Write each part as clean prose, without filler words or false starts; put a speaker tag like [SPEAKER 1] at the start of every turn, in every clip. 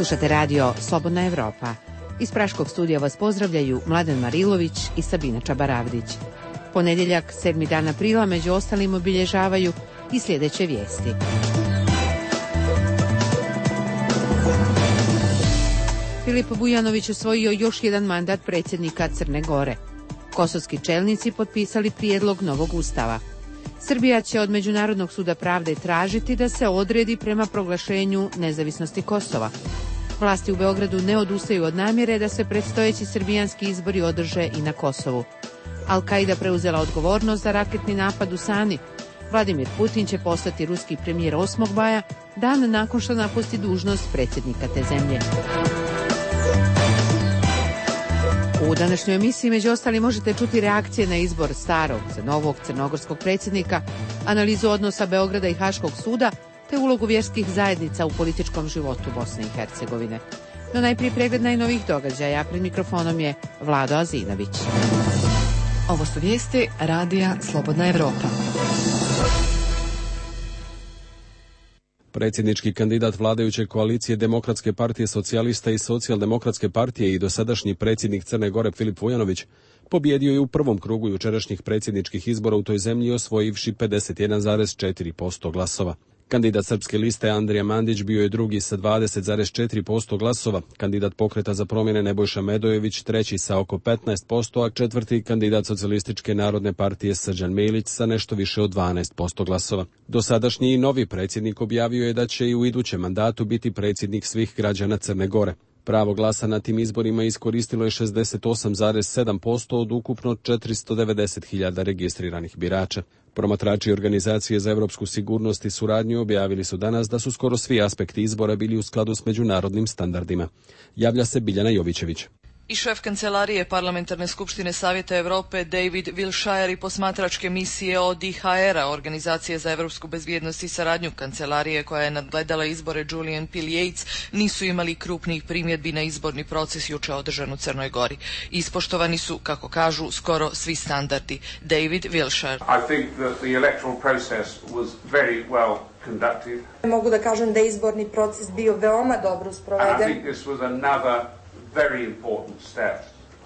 [SPEAKER 1] Slušate radio Slobodna Evropa. Iz Praškog studija vas pozdravljaju Mladen Marilović i Sabina Čabaravdić. Ponedjeljak, 7. dan aprila, među ostalim obilježavaju i sljedeće vijesti. Filip Vujanović osvojio još jedan mandat predsjednika Crne Gore. Kosovski čelnici potpisali prijedlog novog ustava. Srbija će od Međunarodnog suda pravde tražiti da se odredi prema proglašenju nezavisnosti Kosova. Vlasti u Beogradu ne odustaju od namjere da se predstojeći srbijanski izbori održe i na Kosovu. Al-Qaida preuzela odgovornost za raketni napad u Sani. Vladimir Putin će postati ruski premijer 8. maja, dan nakon što napusti dužnost predsjednika te zemlje. U današnjoj emisiji među ostali možete čuti reakcije na izbor starog za novog crnogorskog predsjednika, analizu odnosa Beograda i Haškog suda, te ulogu vjerskih zajednica u političkom životu Bosne i Hercegovine. No najprije pregled najnovijih događaja, pred mikrofonom je Vlado Azinović.
[SPEAKER 2] Ovo su vijesti radija Slobodna Evropa.
[SPEAKER 3] Predsjednički kandidat vladajuće koalicije Demokratske partije socijalista i Socijaldemokratske partije i dosadašnji predsjednik Crne Gore Filip Vujanović pobijedio je u prvom krugu jučerašnjih predsjedničkih izbora u toj zemlji, osvojivši 51,4% glasova. Kandidat Srpske liste Andrija Mandić bio je drugi sa 20,4% glasova, kandidat Pokreta za promjene Nebojša Medojević treći sa oko 15%, a četvrti kandidat Socijalističke narodne partije Srđan Milić sa nešto više od 12% glasova. Dosadašnji i novi predsjednik objavio je da će i u idućem mandatu biti predsjednik svih građana Crne Gore. Pravo glasa na tim izborima iskoristilo je 68,7% od ukupno 490.000 registriranih birača. Promatrači Organizacije za europsku sigurnost i suradnju objavili su danas da su skoro svi aspekti izbora bili u skladu s međunarodnim standardima. Javlja se Biljana Jovićević.
[SPEAKER 4] I šef kancelarije Parlamentarne skupštine Savjeta Europe David Wilshire i posmatračke misije ODIHR-a, Organizacije za europsku bezbjednost i saradnju kancelarije koja je nadgledala izbore Julian P. Yates, nisu imali krupnih primjedbi na izborni proces juče održan u Crnoj Gori. Ispoštovani su, kako kažu, skoro svi standardi. David Wilshire.
[SPEAKER 5] I think that the electoral process was very well conducted.
[SPEAKER 6] Mogu da kažem da je izborni proces bio veoma dobro sproveden.
[SPEAKER 5] I think this was another very important step.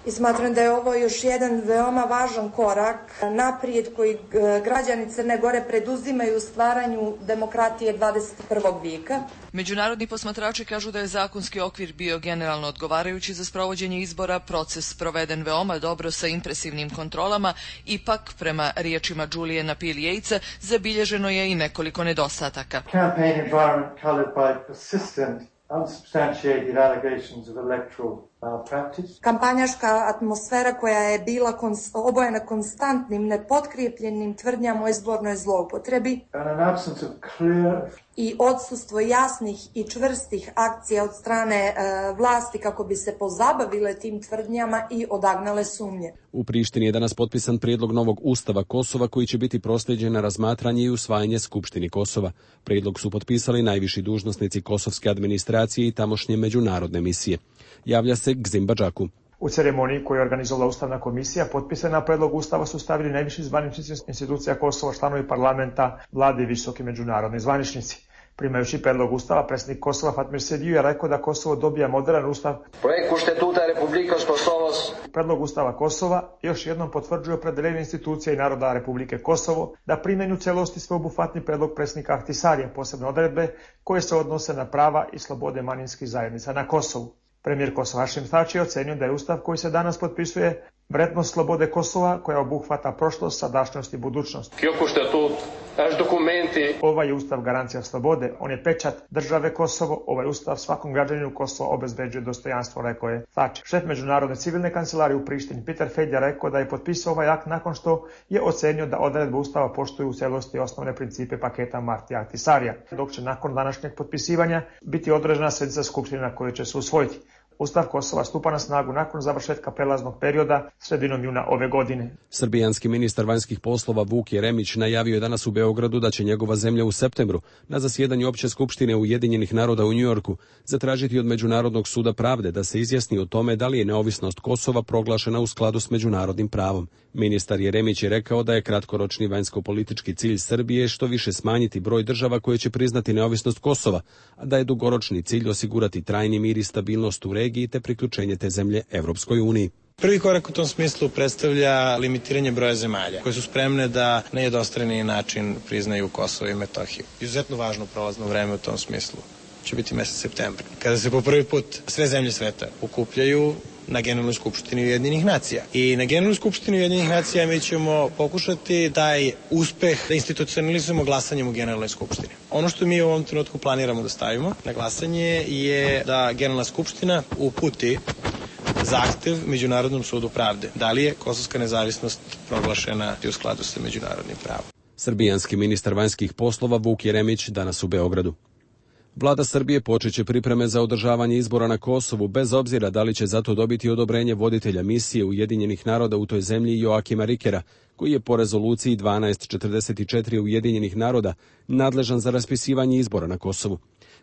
[SPEAKER 6] I smatram da je ovo još jedan veoma važan korak naprijed koji građani Crne Gore preduzimaju u stvaranju demokratije 21. vijeka.
[SPEAKER 4] Međunarodni posmatrači kažu da je zakonski okvir bio generalno odgovarajući za sprovođenje izbora, proces proveden veoma dobro sa impresivnim kontrolama, ipak, prema riječima Juliana P. Yatesa, zabilježeno je i nekoliko nedostataka.
[SPEAKER 7] Campaign environment colored by persistent unsubstantiated allegations of electoral malpractice.
[SPEAKER 6] Kampanjaška atmosfera koja je bila obojena konstantnim, nepotkrijepljenim tvrdnjama o izbornoj zloupotrebi i odsustvo jasnih i čvrstih akcija od strane vlasti kako bi se pozabavile tim tvrdnjama i odagnale sumnje.
[SPEAKER 3] U Prištini je danas potpisan prijedlog novog ustava Kosova koji će biti proslijeđen na razmatranje i usvajanje Skupštini Kosova. Prijedlog su potpisali najviši dužnosnici kosovske administracije i tamošnje međunarodne misije. Javlja se Gzim Badžaku.
[SPEAKER 8] U ceremoniji koju je organizovala Ustavna komisija, potpisana na predlog Ustava su stavili najviši zvaničnici institucija Kosova, članovi parlamenta, vlade i visoki međunarodni zvaničnici. Primajući predlog Ustava, predsjednik Kosova Fatmir Sediu je rekao da Kosovo dobija modern ustav. Predlog Ustava Kosova još jednom potvrđuje opredeljenje institucija i naroda Republike Kosovo da primjenju celosti sveobuhvatni predlog predsjednika Ahtisarija, posebne odredbe koje se odnose na prava i slobode manjinskih zajednica na Kosovu. Premijer Kosova Hašim Tači je ocenio da je ustav koji se danas potpisuje vrednost slobode Kosova koja obuhvata prošlost, sadašnjost i budućnost. Ovaj je ustav garancija slobode, on je pečat države Kosovo, ovaj ustav svakom građaninu Kosova obezbeđuje dostojanstvo, rekao je Tači. Šef međunarodne civilne kancelarije u Prištini Peter Fejd je rekao da je potpisao ovaj akt nakon što je ocenio da odredbe ustava poštuju u celosti osnovne principe paketa Martija Ahtisarija, dok će nakon današnjeg potpisivanja biti održana sjednica skupštine na kojoj će se usvojiti. Ustav Kosova stupa na snagu nakon završetka prelaznog perioda sredinom juna ove godine.
[SPEAKER 3] Srbijanski ministar vanjskih poslova Vuk Jeremić najavio je danas u Beogradu da će njegova zemlja u septembru na zasjedanju Opće skupštine Ujedinjenih naroda u Njujorku zatražiti od Međunarodnog suda pravde da se izjasni o tome da li je neovisnost Kosova proglašena u skladu s međunarodnim pravom. Ministar Jeremić je rekao da je kratkoročni vanjsko-politički cilj Srbije što više smanjiti broj država koje će priznati neovisnost Kosova, a da je dugoročni cilj osigurati trajni mir i stabilnost u regiji te priključenje te zemlje Evropskoj uniji.
[SPEAKER 9] Prvi korak u tom smislu predstavlja limitiranje broja zemalja koje su spremne da na jednostrani način priznaju Kosovo i Metohiju. Izuzetno važno prolazno vreme u tom smislu će biti mesec septembar, kada se po prvi put sve zemlje sveta okupljaju na Generalnoj skupštini Ujedinjenih nacija. I na Generalnoj skupštini Ujedinjenih nacija mi ćemo pokušati taj uspeh da institucionalizujemo glasanjem u Generalnoj skupštini. Ono što mi u ovom trenutku planiramo da stavimo na glasanje je da Generalna skupština uputi zahtev Međunarodnom sudu pravde. Da li je kosovska nezavisnost proglašena u skladu sa međunarodnim pravom?
[SPEAKER 3] Srbijanski ministar vanjskih poslova Vuk Jeremić danas u Beogradu. Vlada Srbije počeće pripreme za održavanje izbora na Kosovu bez obzira da li će zato dobiti odobrenje voditelja misije Ujedinjenih naroda u toj zemlji Joakima Rikera, koji je po rezoluciji 1244 Ujedinjenih naroda nadležan za raspisivanje izbora na Kosovu.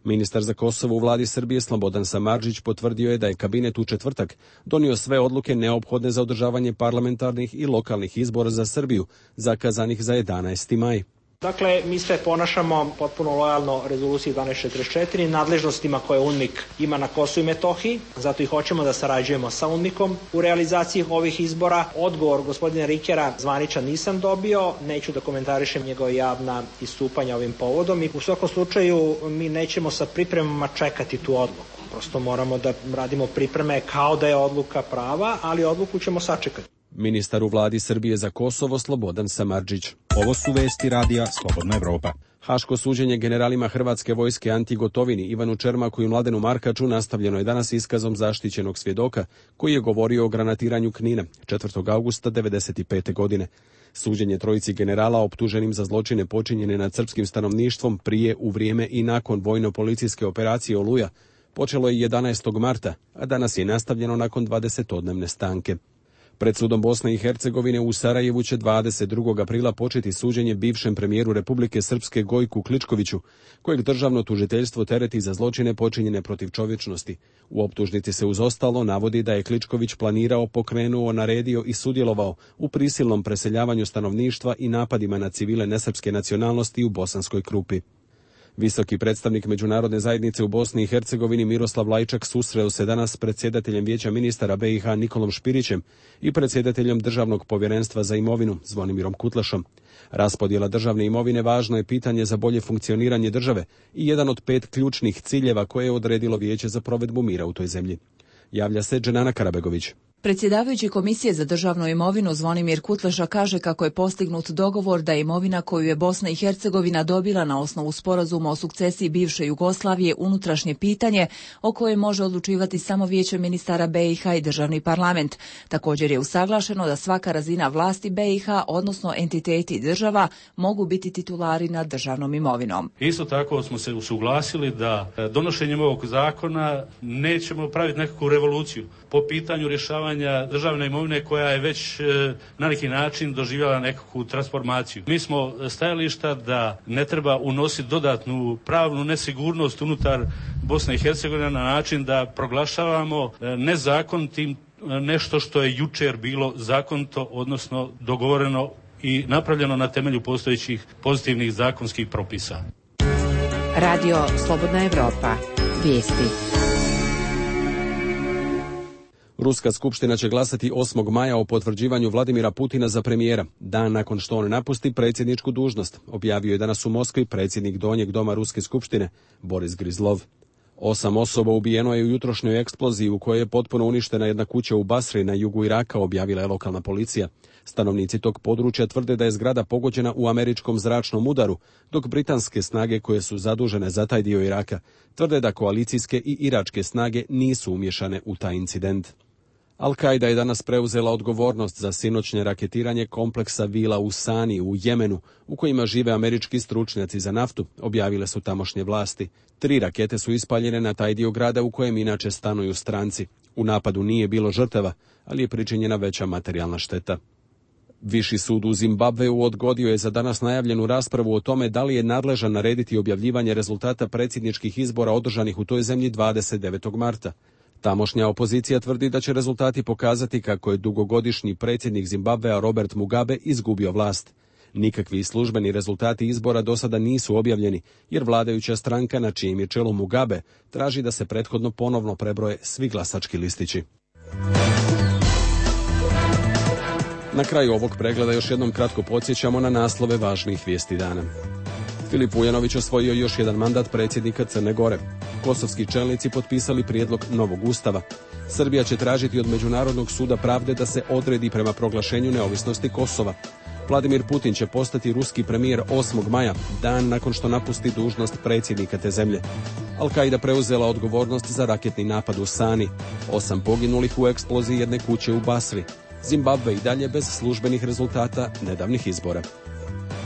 [SPEAKER 3] Ministar za Kosovo u vladi Srbije Slobodan Samardžić potvrdio je da je kabinet u četvrtak donio sve odluke neophodne za održavanje parlamentarnih i lokalnih izbora za Srbiju, zakazanih za 11. maj.
[SPEAKER 10] Dakle, mi se ponašamo potpuno lojalno rezoluciji 1244, nadležnostima koje UNMIK ima na Kosovu i Metohiji, zato i hoćemo da sarađujemo sa UNMIK-om u realizaciji ovih izbora. Odgovor gospodina Rikera zvaničan nisam dobio, neću da komentarišem njegova javna istupanja ovim povodom i u svakom slučaju mi nećemo sa pripremama čekati tu odluku. Prosto moramo da radimo pripreme kao da je odluka prava, ali odluku ćemo sačekati.
[SPEAKER 3] Ministar u vladi Srbije za Kosovo Slobodan Samardžić.
[SPEAKER 11] Ovo su vesti radija Slobodna Evropa.
[SPEAKER 3] Haško suđenje generalima Hrvatske vojske Anti Gotovini, Ivanu Čermaku i Mladenu Markaču nastavljeno je danas iskazom zaštićenog svjedoka koji je govorio o granatiranju Knina 4. augusta 1995. godine. Suđenje trojici generala optuženim za zločine počinjene nad srpskim stanovništvom prije, u vrijeme i nakon vojno-policijske operacije Oluja počelo je 11. marta, a danas je nastavljeno nakon 20-odnevne stanke. Pred sudom Bosne i Hercegovine u Sarajevu će 22. aprila početi suđenje bivšem premijeru Republike Srpske Gojku Kličkoviću, kojeg državno tužiteljstvo tereti za zločine počinjene protiv čovječnosti. U optužnici se uz ostalo navodi da je Kličković planirao, pokrenuo, naredio i sudjelovao u prisilnom preseljavanju stanovništva i napadima na civile nesrpske nacionalnosti u Bosanskoj Krupi. Visoki predstavnik međunarodne zajednice u Bosni i Hercegovini Miroslav Lajčak susreo se danas s predsjedateljem Vijeća ministara BiH Nikolom Špirićem i predsjedateljem Državnog povjerenstva za imovinu Zvonimirom Kutlašom. Raspodjela državne imovine važno je pitanje za bolje funkcioniranje države i jedan od 5 ključnih ciljeva koje je odredilo Vijeće za provedbu mira u toj zemlji. Javlja se Dženana Karabegović.
[SPEAKER 12] Predsjedavajući Komisije za državnu imovinu Zvonimir Kutleša kaže kako je postignut dogovor da imovina koju je Bosna i Hercegovina dobila na osnovu sporazuma o sukcesiji bivše Jugoslavije unutrašnje pitanje o kojem može odlučivati samo Vijeće ministara BiH i državni parlament. Također je usaglašeno da svaka razina vlasti BiH, odnosno entiteti država, mogu biti titulari nad državnom imovinom.
[SPEAKER 13] Isto tako smo se usuglasili da donošenjem ovog zakona nećemo praviti nekakvu revoluciju po pitanju rješavanja državne imovine koja je već na neki način doživjela nekakvu transformaciju. Mi smo stajališta da ne treba unositi dodatnu pravnu nesigurnost unutar Bosne i Hercegovine na način da proglašavamo nezakonitim nešto što je jučer bilo zakonito, odnosno dogovoreno i napravljeno na temelju postojećih pozitivnih zakonskih propisa.
[SPEAKER 1] Radio Slobodna Evropa. Vijesti.
[SPEAKER 3] Ruska skupština će glasati 8. maja o potvrđivanju Vladimira Putina za premijera, dan nakon što on napusti predsjedničku dužnost, objavio je danas u Moskvi predsjednik Donjeg doma Ruske skupštine Boris Grizlov. 8 osoba ubijeno je u jutrošnjoj eksploziji u kojoj je potpuno uništena jedna kuća u Basri na jugu Iraka, objavila je lokalna policija. Stanovnici tog područja tvrde da je zgrada pogođena u američkom zračnom udaru, dok britanske snage koje su zadužene za taj dio Iraka tvrde da koalicijske i iračke snage nisu umješane u taj incident. Al-Kaida je danas preuzela odgovornost za sinoćnje raketiranje kompleksa vila u Sani u Jemenu, u kojima žive američki stručnjaci za naftu, objavile su tamošnje vlasti. 3 rakete su ispaljene na taj dio grada u kojem inače stanuju stranci. U napadu nije bilo žrtava, ali je pričinjena veća materijalna šteta. Viši sud u Zimbabveu odgodio je za danas najavljenu raspravu o tome da li je nadležan narediti objavljivanje rezultata predsjedničkih izbora održanih u toj zemlji 29. marta. Tamošnja opozicija tvrdi da će rezultati pokazati kako je dugogodišnji predsjednik Zimbabvea Robert Mugabe izgubio vlast. Nikakvi službeni rezultati izbora do sada nisu objavljeni, jer vladajuća stranka na čijem je čelu Mugabe traži da se prethodno ponovno prebroje svi glasački listići. Na kraju ovog pregleda još jednom kratko podsjećamo na naslove važnijih vijesti dana. Filip Vujanović osvojio još jedan mandat predsjednika Crne Gore. Kosovski čelnici potpisali prijedlog novog ustava. Srbija će tražiti od Međunarodnog suda pravde da se odredi prema proglašenju neovisnosti Kosova. Vladimir Putin će postati ruski premijer 8. maja, dan nakon što napusti dužnost predsjednika te zemlje. Al-Kaida preuzela odgovornost za raketni napad u Sani. 8 poginulih u eksploziji jedne kuće u Basri. Zimbabve i dalje bez službenih rezultata nedavnih izbora.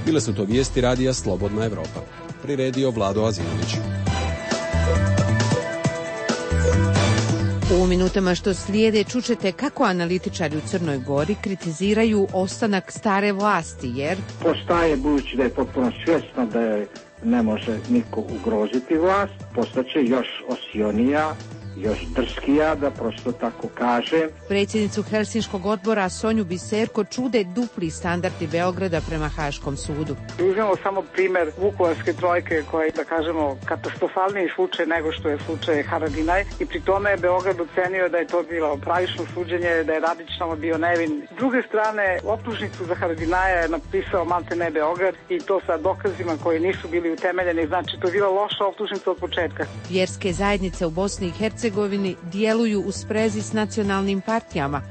[SPEAKER 3] Bile su to vijesti radija Slobodna Evropa. Priredio Vlado Azinović.
[SPEAKER 1] U minutama što slijede čućete kako analitičari u Crnoj Gori kritiziraju ostanak stare vlasti, jer
[SPEAKER 14] postaje, budući da je potpuno svjesno da je ne može niko ugroziti vlast, postaće još osionija, još drskija, da prosto tako kaže.
[SPEAKER 1] Predsjednicu Helsinškog odbora Sonju Biserko čude dupli standardi Beograda prema Haškom sudu.
[SPEAKER 15] Uzmemo samo primjer Vukovarske trojke, koja je, da kažemo, katastrofalniji slučaj nego što je slučaj Haradinaj, i pri tome je Beograd ocenio da je to bilo pravično suđenje, da je Radić tamo bio nevin. S druge strane, optužnicu za Haradinaja je napisao maltene Beograd, i to sa dokazima koji nisu bili utemeljeni, znači to je bila loša optužnica od početka.
[SPEAKER 1] Vjerske zajednice u Bosni i Hercegovini djeluju u sprezi s nacionalnim partijama,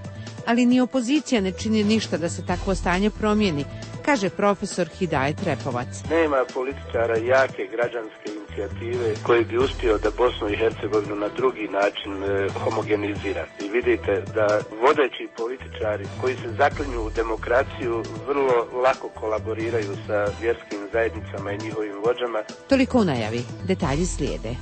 [SPEAKER 1] ali ni opozicija ne čini ništa da se takvo stanje promijeni, kaže profesor Hidajet Repovac.
[SPEAKER 16] Nema političara jake građanske inicijative koji bi uspio da Bosnu i Hercegovinu na drugi način homogenizira. I vidite da vodeći političari koji se zaklinju u demokraciju vrlo lako kolaboriraju sa vjerskim zajednicama i njihovim vođama.
[SPEAKER 1] Toliko u najavi. Detalji slijede.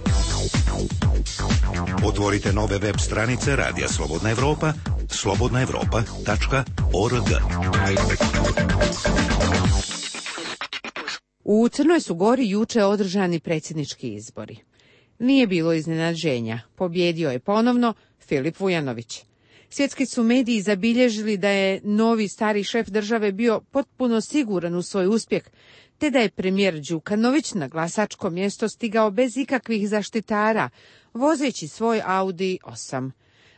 [SPEAKER 17] Otvorite nove web stranice Radija Slobodna Evropa, slobodnaevropa.org.
[SPEAKER 1] U Crnoj su Gori juče održani predsjednički izbori. Nije bilo iznenađenja. Pobjedio je ponovno Filip Vujanović. Svjetski su mediji zabilježili da je novi stari šef države bio potpuno siguran u svoj uspjeh, te da je premijer Đukanović na glasačko mjesto stigao bez ikakvih zaštitara, vozeći svoj Audi 8.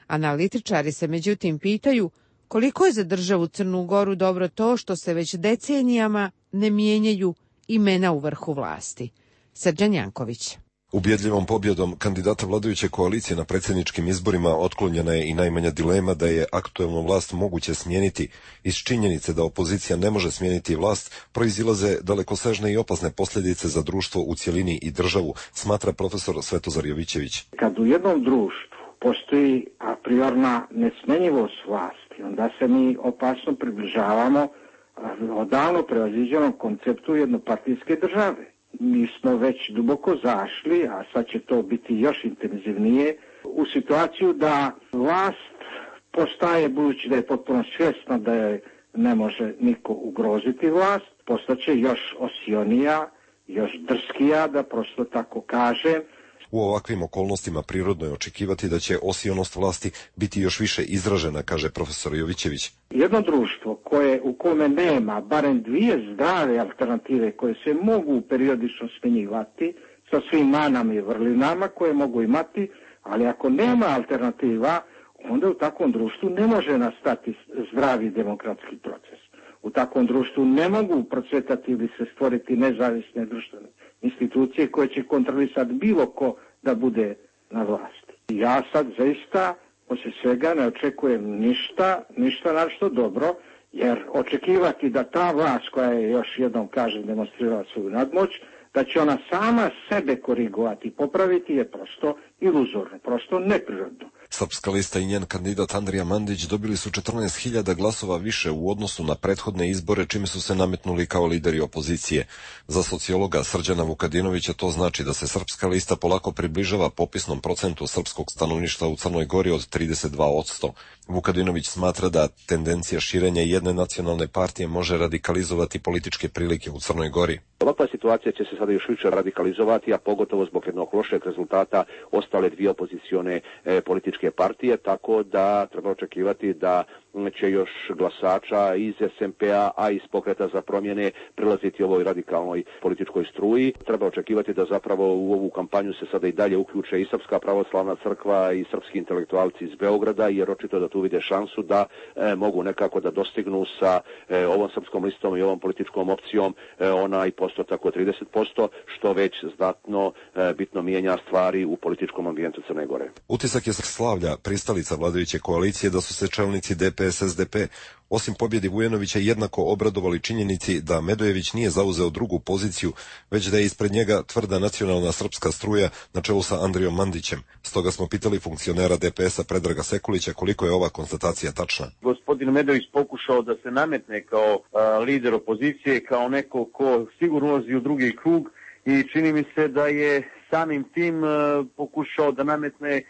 [SPEAKER 1] Analitičari se međutim pitaju koliko je za državu Crnu Goru dobro to što se već decenijama ne mijenjaju imena u vrhu vlasti. Srđan Janković.
[SPEAKER 18] Ubjedljivom pobjedom kandidata vladajuće koalicije na predsjedničkim izborima otklonjena je i najmanja dilema da je aktuelnu vlast moguće smijeniti. Iz činjenice da opozicija ne može smijeniti vlast proizilaze dalekosežne i opasne posljedice za društvo u cjelini i državu, smatra profesor Svetozar Jovićević.
[SPEAKER 14] Kad u jednom društvu postoji a priorna nesmenjivost vlasti, onda se mi opasno približavamo odavno prevaziđenom konceptu jednopartijske države. Mi smo već duboko zašli, a sad će to biti još intenzivnije, u situaciju da vlast postaje, budući da je potpuno svjesna da je ne može niko ugroziti vlast, postaće još osionija, još drskija, da prosto tako kaže.
[SPEAKER 18] U ovakvim okolnostima prirodno je očekivati da će osionost vlasti biti još više izražena, kaže profesor Jovićević.
[SPEAKER 14] Jedno društvo u kome nema barem dvije zdrave alternative koje se mogu periodično smjenjivati sa svim manama i vrlinama koje mogu imati, ali ako nema alternativa, onda u takvom društvu ne može nastati zdravi demokratski proces. U takvom društvu ne mogu procvetati ili se stvoriti nezavisne društvene institucije koje će kontrolisati bilo ko da bude na vlasti. Ja sad zaista poslije svega ne očekujem ništa našto dobro, jer očekivati da ta vlast koja je, još jednom kažem, demonstrirala svoju nadmoć, da će ona sama sebe korigovati i popraviti je prosto iluzorno, prosto neprirodno.
[SPEAKER 18] Srpska lista i njen kandidat Andrija Mandić dobili su 14.000 glasova više u odnosu na prethodne izbore, čime su se nametnuli kao lideri opozicije. Za sociologa Srđana Vukadinovića to znači da se Srpska lista polako približava popisnom procentu srpskog stanovništva u Crnoj Gori od 32%. Vukadinović smatra da tendencija širenja jedne nacionalne partije može radikalizovati političke prilike u Crnoj Gori.
[SPEAKER 19] Ovakva situacija će se sada još više radikalizovati, a pogotovo zbog jednog lošeg rezultata ostale dvije opozicione političke partije, tako da treba očekivati da će još glasača iz SMP-a, a iz Pokreta za promjene prilaziti ovoj radikalnoj političkoj struji. Treba očekivati da zapravo u ovu kampanju se sada i dalje uključe i Srpska pravoslavna crkva i srpski intelektualci iz Beograda, jer očito da tu vide šansu da mogu nekako da dostignu sa ovom srpskom listom i ovom političkom opcijom onaj postotak od 30%, što već znatno bitno mijenja stvari u političkom ambijentu Crne Gore.
[SPEAKER 18] Utisak je Slavlja, pristalica vladajuće koalicije, da su se čelnici DPS-SDP osim pobjedi Vujanovića jednako obradovali činjenici da Medojević nije zauzeo drugu poziciju, već da je ispred njega tvrda nacionalna srpska struja na čelu sa Andrijom Mandićem. Stoga smo pitali funkcionera DPS-a Predraga Sekulića koliko je ova konstatacija tačna.
[SPEAKER 20] Gospodin Medojević pokušao da se nametne kao lider opozicije, kao neko ko sigurno ulazi u drugi krug i čini mi se da je samim tim pokušao da nametne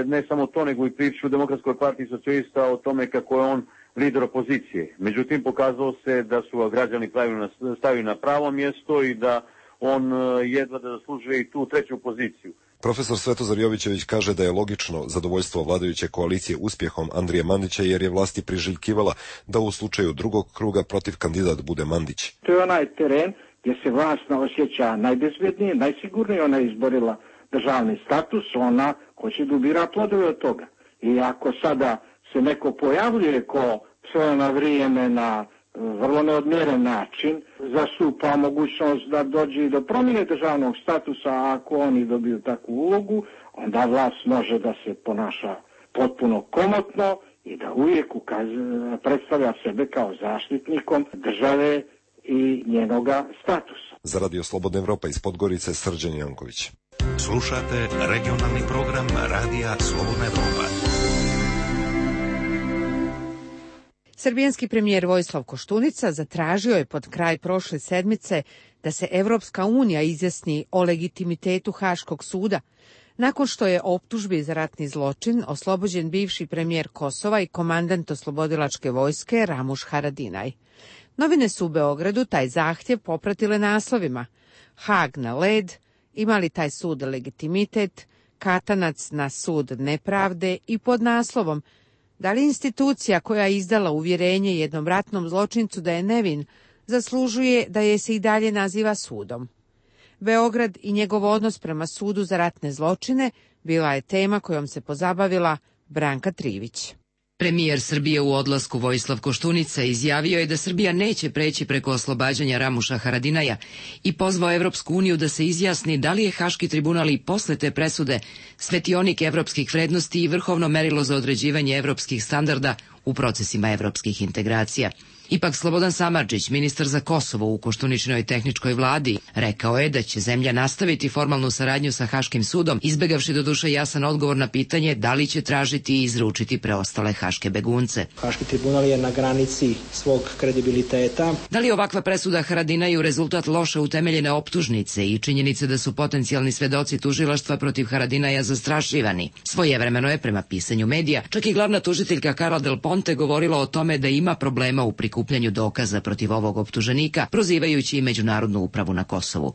[SPEAKER 20] ne samo to, nego i priču u Demokratskoj partiji socijalista o tome kako je on lider opozicije. Međutim, pokazalo se da su ga građani stavili na pravo mjesto i da on jedva da zaslužuje i tu treću poziciju.
[SPEAKER 18] Profesor Svetozar Jovićević kaže da je logično zadovoljstvo vladajuće koalicije uspjehom Andrije Mandića, jer je vlasti priželjkivala da u slučaju drugog kruga protiv kandidat bude Mandić.
[SPEAKER 14] To je onaj teren gdje se vlast osjeća najbezbjednije, najsigurnije. Ona je izborila državni status, ona hoće da ubira plodove od toga. I ako sada se neko pojavljuje ko sve na vrijeme na vrlo neodmjeren način, zastupa mogućnost da dođe do promjene državnog statusa, a ako oni dobiju takvu ulogu, onda vlast može da se ponaša potpuno komotno i da uvijek predstavlja sebe kao zaštitnikom države i njenoga statusa.
[SPEAKER 18] Za Radio Slobodna Evropa iz Podgorice, Srđan Janković.
[SPEAKER 17] Slušate regionalni program Radija Slobodna Evropa.
[SPEAKER 1] Srbijanski premijer Vojislav Koštunica zatražio je pod kraj prošle sedmice da se Evropska unija izjasni o legitimitetu Haškog suda, nakon što je optužbi za ratni zločin oslobođen bivši premijer Kosova i komandant oslobodilačke vojske Ramuš Haradinaj. Novine su u Beogradu taj zahtjev popratile naslovima: Hag na led, ima li taj sud legitimitet, katanac na sud nepravde i pod naslovom: da li institucija koja je izdala uvjerenje jednom ratnom zločincu da je nevin zaslužuje da je se i dalje naziva sudom? Beograd i njegov odnos prema sudu za ratne zločine bila je tema kojom se pozabavila Branka Trivić.
[SPEAKER 21] Premijer Srbije u odlasku Vojislav Koštunica izjavio je da Srbija neće preći preko oslobađanja Ramuša Haradinaja i pozvao Evropsku uniju da se izjasni da li je Haški tribunal i posle te presude svetionik evropskih vrednosti i vrhovno merilo za određivanje evropskih standarda u procesima evropskih integracija. Ipak Slobodan Samardžić, ministar za Kosovo u Koštuničinoj tehničkoj vladi, rekao je da će zemlja nastaviti formalnu saradnju sa Haškim sudom, izbegavši doduše jasan odgovor na pitanje da li će tražiti i izručiti preostale haške begunce.
[SPEAKER 10] Haški tribunal je na granici svog kredibiliteta.
[SPEAKER 21] Da li ovakva presuda Haradinaju rezultat loše utemeljene optužnice i činjenice da su potencijalni svedoci tužilaštva protiv Haradinaja zastrašivani? Svojevremeno je, prema pisanju medija, čak i glavna tužiteljka Karla Del Ponte govorila o tome da ima problema u prikupljanju dokaza protiv ovog optuženika, prozivajući i Međunarodnu upravu na Kosovu.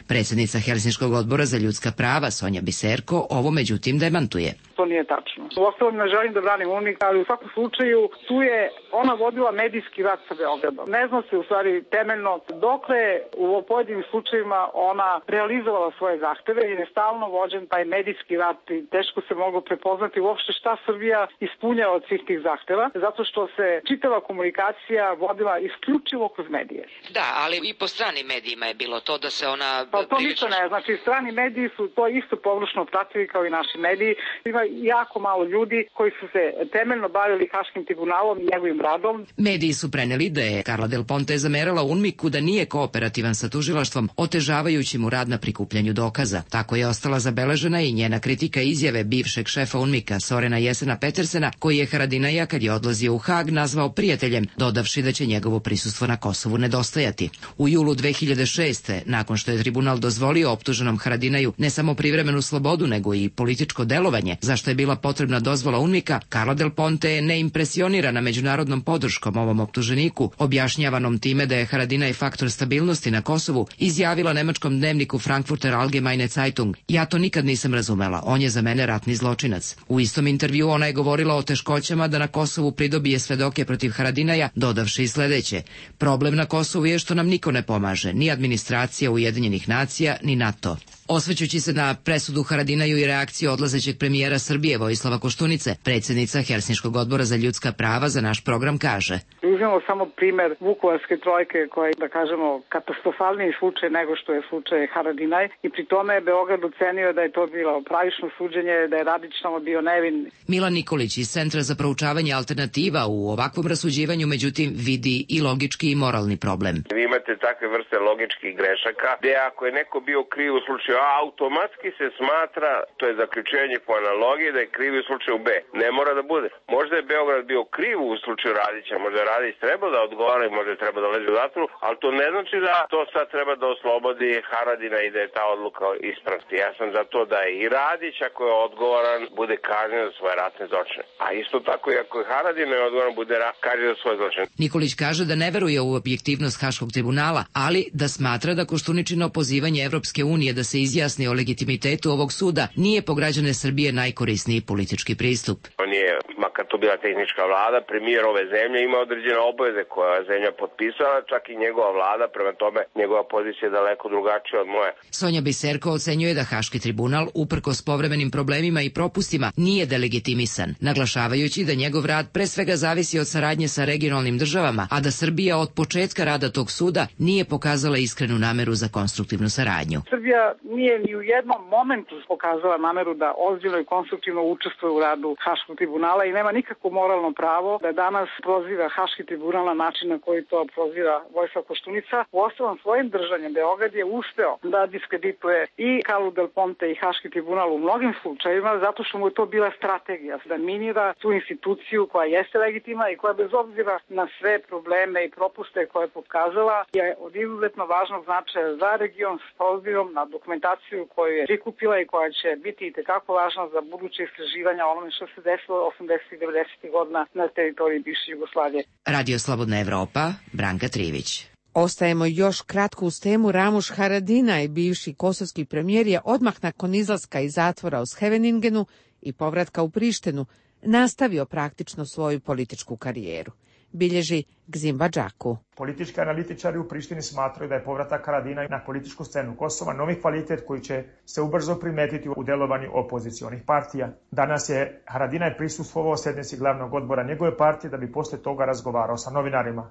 [SPEAKER 21] Predsjednica Helsinškog odbora za ljudska prava Sonja Biserko ovo međutim demantuje.
[SPEAKER 15] To nije tačno. Uostalom ne želim da branim UNMIK, ali u svakom slučaju tu je ona vodila medijski rat sa Beogradom. Ne zna se u stvari temeljno dokle u pojedinim slučajevima ona realizovala svoje zahteve jer je stalno vođen taj medijski rat i teško se moglo prepoznati uopšte šta Srbija ispunjava od svih tih zahteva, zato što se čitava komunikacija Srbija vodila isključivo kroz medije.
[SPEAKER 21] Da, ali i po stranim medijima je bilo to da se ona...
[SPEAKER 15] Pa to ništa ne, znači strani mediji su to isto površno pratili kao i naši mediji. Ima jako malo ljudi koji su se temeljno bavili Haškim tribunalom i njegovim radom.
[SPEAKER 21] Mediji su preneli da je Carla Del Ponte zamerala UNMIK-u da nije kooperativan sa tužilaštvom, otežavajući mu rad na prikupljanju dokaza. Tako je ostala zabeležena i njena kritika izjave bivšeg šefa UNMIK-a Sorena Jesena Petersena, koji je Haradinaja kad je odlazio u Hag nazvao prijateljem, dodavši da će njegovo prisustvo na Kosovu nedostajati. U julu 2006. nakon što je tribunal dozvolio optuženom Haradinaju ne samo privremenu slobodu, nego i političko delovanje, za što je bila potrebna dozvola UNMIK-a, Carla Del Ponte je neimpresionirana međunarodnom podrškom ovom optuženiku, objašnjavanom time da je Haradinaj faktor stabilnosti na Kosovu, izjavila nemačkom dnevniku Frankfurter Allgemeine Zeitung: "Ja to nikad nisam razumela, on je za mene ratni zločinac." U istom intervju ona je govorila o teškoćama da na Kosovu pridobije svedoke protiv Haradinaja, dodavši i sledeće: "Problem na Kosovu je što nam niko ne pomaže, ni administracija Ujedinjenih nacija, ni NATO." Osvrćući se na presudu Haradinaju i reakciju odlazećeg premijera Srbije Vojislava Koštunice, predsjednica Helsinškog odbora za ljudska prava za naš program kaže:
[SPEAKER 15] Uzmemo samo primer Vukovarske trojke, koja je, da kažemo, katastrofalniji slučaj nego što je slučaj Haradinaj, i pri tome je Beograd ocenio da je to bilo pravično suđenje, da je Radić tamo bio nevin.
[SPEAKER 21] Milan Nikolić iz Centra za proučavanje alternativa u ovakvom rasuđivanju međutim vidi i logički i moralni problem.
[SPEAKER 2] Vi imate takve vrste logičkih grešaka, gde ako je neko bio kriv u slučaju A, automatski se smatra, to je zaključenje po analogiji, da je kriv u slučaju B. Ne mora da bude. Možda je Beograd bio kriv u slučaju Radića, možda je Radić trebao da odgovara i možda je trebao da leže u zatvoru, ali to ne znači da to sad treba da oslobodi Haradina i da je ta odluka ispravna. Ja sam za to da i Radić, ako je odgovoran, bude kažnjen za svoje ratne zločine. A isto tako i ako je Haradin odgovoran, bude kažnjen za svoje zločine.
[SPEAKER 21] Nikolić kaže da ne veruje u objektivnost Haškog tribunala, ali da smatra da Koštuničino pozivanje Evropske unije da se izjasni o legitimitetu ovog suda nije po građane Srbije najkorisniji politički pristup.
[SPEAKER 2] On je, makar to bila tehnička vlada, premijer ove zemlje, ima određene obaveze koje je zemlja potpisala, čak i njegova vlada, prema tome njegova pozicija je daleko drugačija od moje.
[SPEAKER 21] Sonja Biserko ocenjuje da Haški tribunal, uprkos povremenim problemima i propustima, nije delegitimisan, naglašavajući da njegov rad pre svega zavisi od saradnje sa regionalnim državama, a da Srbija od početka rada tog suda nije pokazala iskrenu nameru za konstruktivnu saradnju.
[SPEAKER 15] Srbija nije ni u jednom momentu pokazala nameru da ozbiljno i konstruktivno učestvuje u radu Haškog tribunala i nema nikakvo moralno pravo da danas proziva Haški tribunal na način na koji to proziva Vojislav Koštunica. Uostalom, svojim držanjem Beograd je uspeo da diskredituje i Carlu Del Ponte i Haški tribunal u mnogim slučajevima, zato što mu je to bila strategija da minira tu instituciju koja jeste legitimna i koja bez obzira na sve probleme i propuste koje je pokazala je od izuzetno važnog značaja za region s obzirom na dokumentaciju koju je prikupila i koja će biti i tekako važna za buduće istraživanja onome što se desilo 80. i 90. godina na teritoriji bivše Jugoslavije.
[SPEAKER 21] Radio Slobodna Evropa, Branka Trivić.
[SPEAKER 1] Ostajemo još kratko uz temu. Ramuš Haradinaj, bivši kosovski premijer, je odmah nakon izlaska iz zatvora u Scheveningenu i povratka u Prištinu nastavio praktično svoju političku karijeru. Bilježi Gzimba Džaku.
[SPEAKER 8] Politički analitičari u Prištini smatraju da je povratak Haradinaj na političku scenu Kosova novi kvalitet koji će se ubrzo primetiti u delovanju opozicionih partija. Danas je Haradinaj prisustvovao sjednici glavnog odbora njegove partije da bi posle toga razgovarao sa novinarima.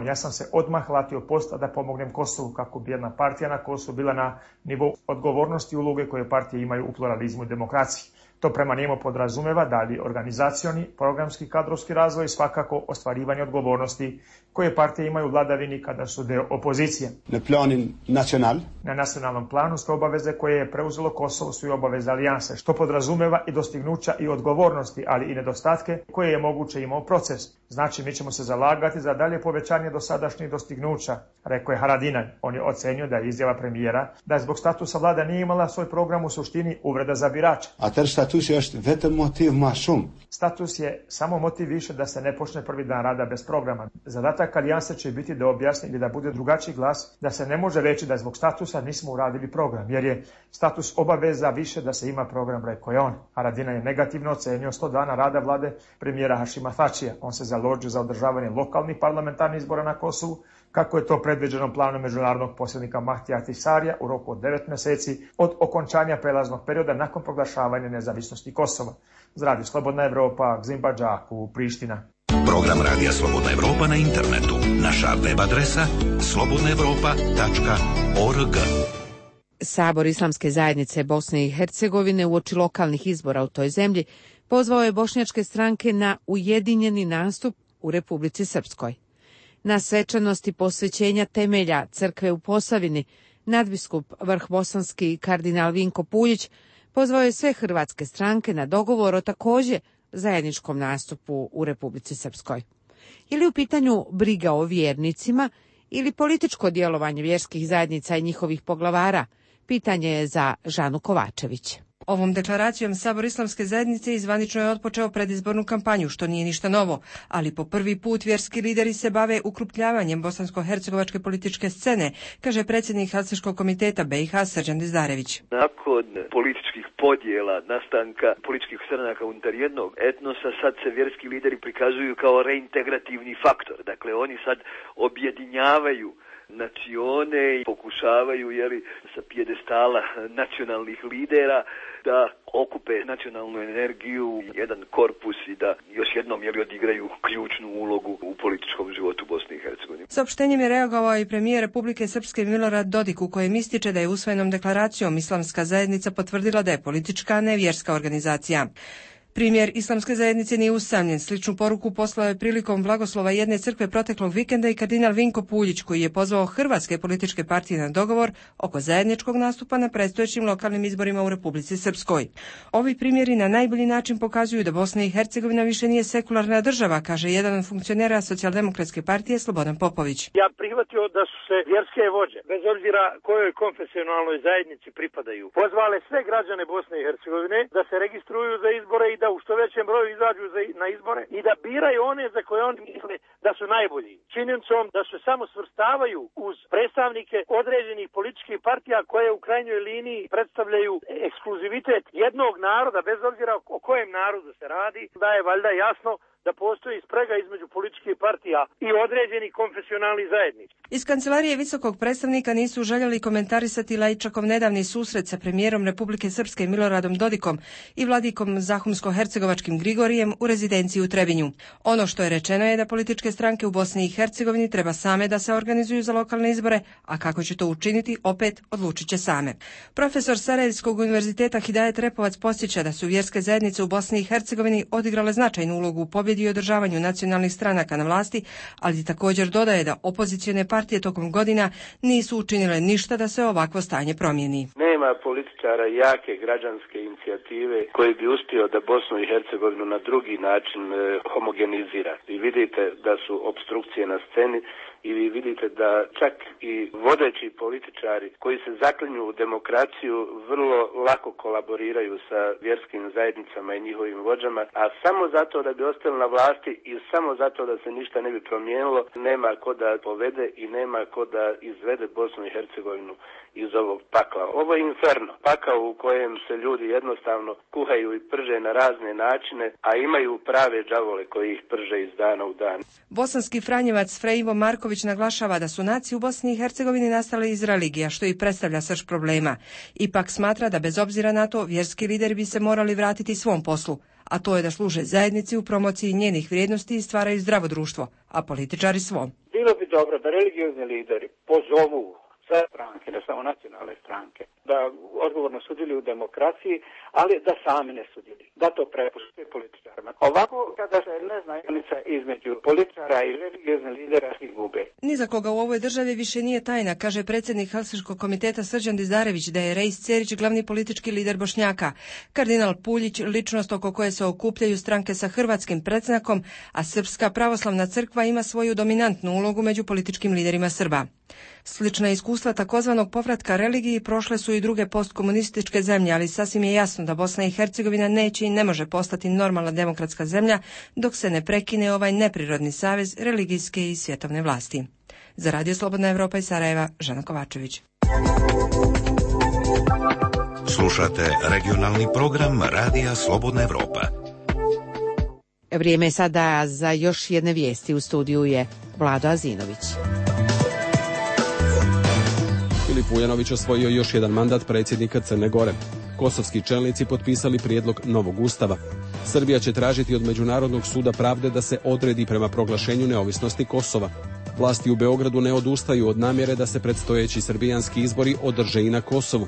[SPEAKER 8] Ja sam se odmah latio posta da pomognem Kosovu kako bi jedna partija na Kosovu bila na nivou odgovornosti i uloge koje partije imaju u pluralizmu i demokraciji. To prema njemu podrazumeva dalje organizacioni, programski, kadrovski razvoj i svakako ostvarivanje odgovornosti koje partije imaju u vladavini kada su deo opozicije. Na nacionalnom planu su obaveze koje je preuzelo Kosovo su i obaveze alijanse, što podrazumeva i dostignuća i odgovornosti, ali i nedostatke koje je moguće imao proces. Znači, mi ćemo se zalagati za dalje povećanje dosadašnjih dostignuća, rekao je Haradinaj. On je ocenio da je izjava premijera da je zbog statusa vlada nije imala svoj program u suštini uvreda za birače. Status je samo motiv više da se ne počne prvi dan rada bez programa. Zadatak alijanse će biti da objasni ili da bude drugačiji glas, da se ne može reći da zbog statusa nismo uradili program, jer je status obaveza više da se ima program, rekao je on. Haradinaj je negativno ocenio 100 dana rada vlade premijera Hašima Tačija. On se založio za održavanje lokalnih parlamentarnih izbora na Kosovu, kako je to predviđeno planom međunarodnog posrednika Mahtija Ahtisarija u roku od 9 mjeseci od okončanja prelaznog perioda nakon proglašavanja nezavisnosti Kosova. Za Radio Slobodna Evropa, Gzimba Džaku, Priština.
[SPEAKER 17] Program Radija Slobodna Evropa na internetu. Naša web adresa slobodnaevropa.org.
[SPEAKER 1] Sabor Islamske zajednice Bosne i Hercegovine uoči lokalnih izbora u toj zemlji pozvao je bošnjačke stranke na ujedinjeni nastup u Republici Srpskoj. Na svečanosti posvećenja temelja crkve u Posavini, nadbiskup vrhbosanski kardinal Vinko Puljić pozvao je sve hrvatske stranke na dogovor o također zajedničkom nastupu u Republici Srpskoj. Ili u pitanju briga o vjernicima ili političko djelovanje vjerskih zajednica i njihovih poglavara, pitanje je za Žanu Kovačević.
[SPEAKER 5] Ovom deklaracijom Sabor Islamske zajednice izvanično je otpočeo predizbornu kampanju, što nije ništa novo, ali po prvi put vjerski lideri se bave ukrupljavanjem bosansko-hercegovačke političke scene, kaže predsjednik Helsinškog komiteta BiH Srđan Dizdarević.
[SPEAKER 22] Nakon političkih podjela, nastanka političkih stranaka unutar jednog etnosa, sad se vjerski lideri prikazuju kao reintegrativni faktor. Dakle, oni sad objedinjavaju nacione i pokušavaju sa pijedestala nacionalnih lidera da okupe nacionalnu energiju, jedan korpus i da još jednom odigraju ključnu ulogu u političkom životu Bosne i Hercegovine.
[SPEAKER 5] Saopštenjem je reagovao i premijer Republike Srpske Milorad Dodik, u kojem ističe da je usvojenom deklaracijom Islamska zajednica potvrdila da je politička, a ne vjerska organizacija. Primjer Islamske zajednice nije usamljen. Sličnu poruku poslao je prilikom blagoslova jedne crkve proteklog vikenda i kardinal Vinko Puljić, koji je pozvao hrvatske političke partije na dogovor oko zajedničkog nastupa na predstojećim lokalnim izborima u Republici Srpskoj. Ovi primjeri na najbolji način pokazuju da Bosna i Hercegovina više nije sekularna država, kaže jedan od funkcionera Socijaldemokratske partije Slobodan Popović.
[SPEAKER 23] Ja prihvatio da su se vjerske vođe, bez obzira kojoj konfesionalnoj zajednici pripadaju, pozvale sve građane Bosne i Hercegovine da se registruju za izbore i da u što većem broju izađu na izbore i da biraju one za koje oni misle da su najbolji. Činjenicom da se samo svrstavaju uz predstavnike određenih političkih partija koje u krajnjoj liniji predstavljaju ekskluzivitet jednog naroda, bez obzira o kojem narodu se radi, da je valjda jasno da postoji sprega između političkih partija i određenih konfesionalnih zajednica.
[SPEAKER 5] Iz kancelarije visokog predstavnika nisu željeli komentarisati Laičakov nedavni susret sa premijerom Republike Srpske Miloradom Dodikom i vladikom Zahumsko-hercegovačkim Grigorijem u rezidenciji u Trebinju. Ono što je rečeno je da političke stranke u Bosni i Hercegovini treba same da se organizuju za lokalne izbore, a kako će to učiniti, opet odlučit će same. Profesor Sarajevskog univerziteta Hidajet Repovac podsjeća da su vjerske zajednice u Bosni i Hercegovini odigrale značajnu ulogu u pobjedi i održavanju nacionalnih stranaka na vlasti, ali također dodaje da opozicione partije tokom godina nisu učinile ništa da se ovakvo stanje promijeni.
[SPEAKER 16] Nema političara jake građanske inicijative koji bi uspio da Bosnu i Hercegovinu na drugi način homogenizira. I vidite da su opstrukcije na sceni i vi vidite da čak i vodeći političari koji se zaklinju u demokraciju vrlo lako kolaboriraju sa vjerskim zajednicama i njihovim vođama, a samo zato da bi ostali na vlasti i samo zato da se ništa ne bi promijenilo, nema ko da povede i nema ko da izvede Bosnu i Hercegovinu iz ovog pakla. Ovo je inferno, pakao u kojem se ljudi jednostavno kuhaju i prže na razne načine, a imaju prave đavole koji ih prže iz dana u dan.
[SPEAKER 5] Bosanski franjevac Frejivo Marković naglašava da su nacije u Bosni i Hercegovini nastale iz religija, što i predstavlja srž problema. Ipak smatra da bez obzira na to vjerski lideri bi se morali vratiti svom poslu, a to je da služe zajednici u promociji njenih vrijednosti i stvaraju zdravo društvo, a političari svom.
[SPEAKER 23] Bilo bi dobro da religiozni lideri pozovu sve stranke, ne samo nacionalne stranke, da odgovorno sudjeluju u demokraciji, ali da sami ne sudjeluju, da to prepušte političarima. Ovako, kada se ne zna granica između političara i religioznih lidera, ih gube.
[SPEAKER 5] Ni za koga u ovoj državi više nije tajna, kaže predsjednik Helsinškog komiteta Srđan Dizdarević, da je Rejs Cerić glavni politički lider Bošnjaka, kardinal Puljić ličnost oko koje se okupljaju stranke sa hrvatskim predznakom, a Srpska pravoslavna crkva ima svoju dominantnu ulogu među političkim liderima Srba. Slična iskustva takozvanog povratka religiji prošle su i druge postkomunističke zemlje, ali sasvim je jasno da Bosna i Hercegovina neće i ne može postati normalna demokratska zemlja dok se ne prekine ovaj neprirodni savez religijske i svjetovne vlasti. Za Radio Slobodna Evropa iz Sarajeva, Žana Kovačević.
[SPEAKER 17] Slušate regionalni program Radija Slobodna Evropa.
[SPEAKER 1] Vrijeme je sada za još jedne vijesti. U studiju je Vlado Azinović.
[SPEAKER 3] Filip Vujanović osvojio još jedan mandat predsjednika Crne Gore. Kosovski čelnici potpisali prijedlog novog ustava. Srbija će tražiti od Međunarodnog suda pravde da se odredi prema proglašenju neovisnosti Kosova. Vlasti u Beogradu ne odustaju od namjere da se predstojeći srbijanski izbori održe i na Kosovu.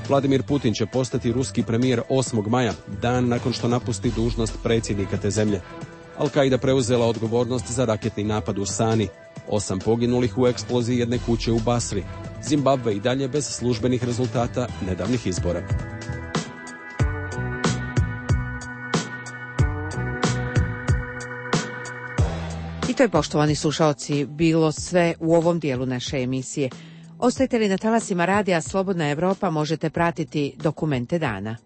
[SPEAKER 3] Vladimir Putin će postati ruski premijer 8. maja, dan nakon što napusti dužnost predsjednika te zemlje. Al-Qaida preuzela odgovornost za raketni napad u Sani. 8 poginulih u eksploziji jedne kuće u Basri. Zimbabve i dalje bez službenih rezultata nedavnih izbora.
[SPEAKER 1] I to je, poštovani slušaoci, bilo sve u ovom dijelu naše emisije. Ostajte li na talasima radija Slobodna Evropa, možete pratiti dokumente dana.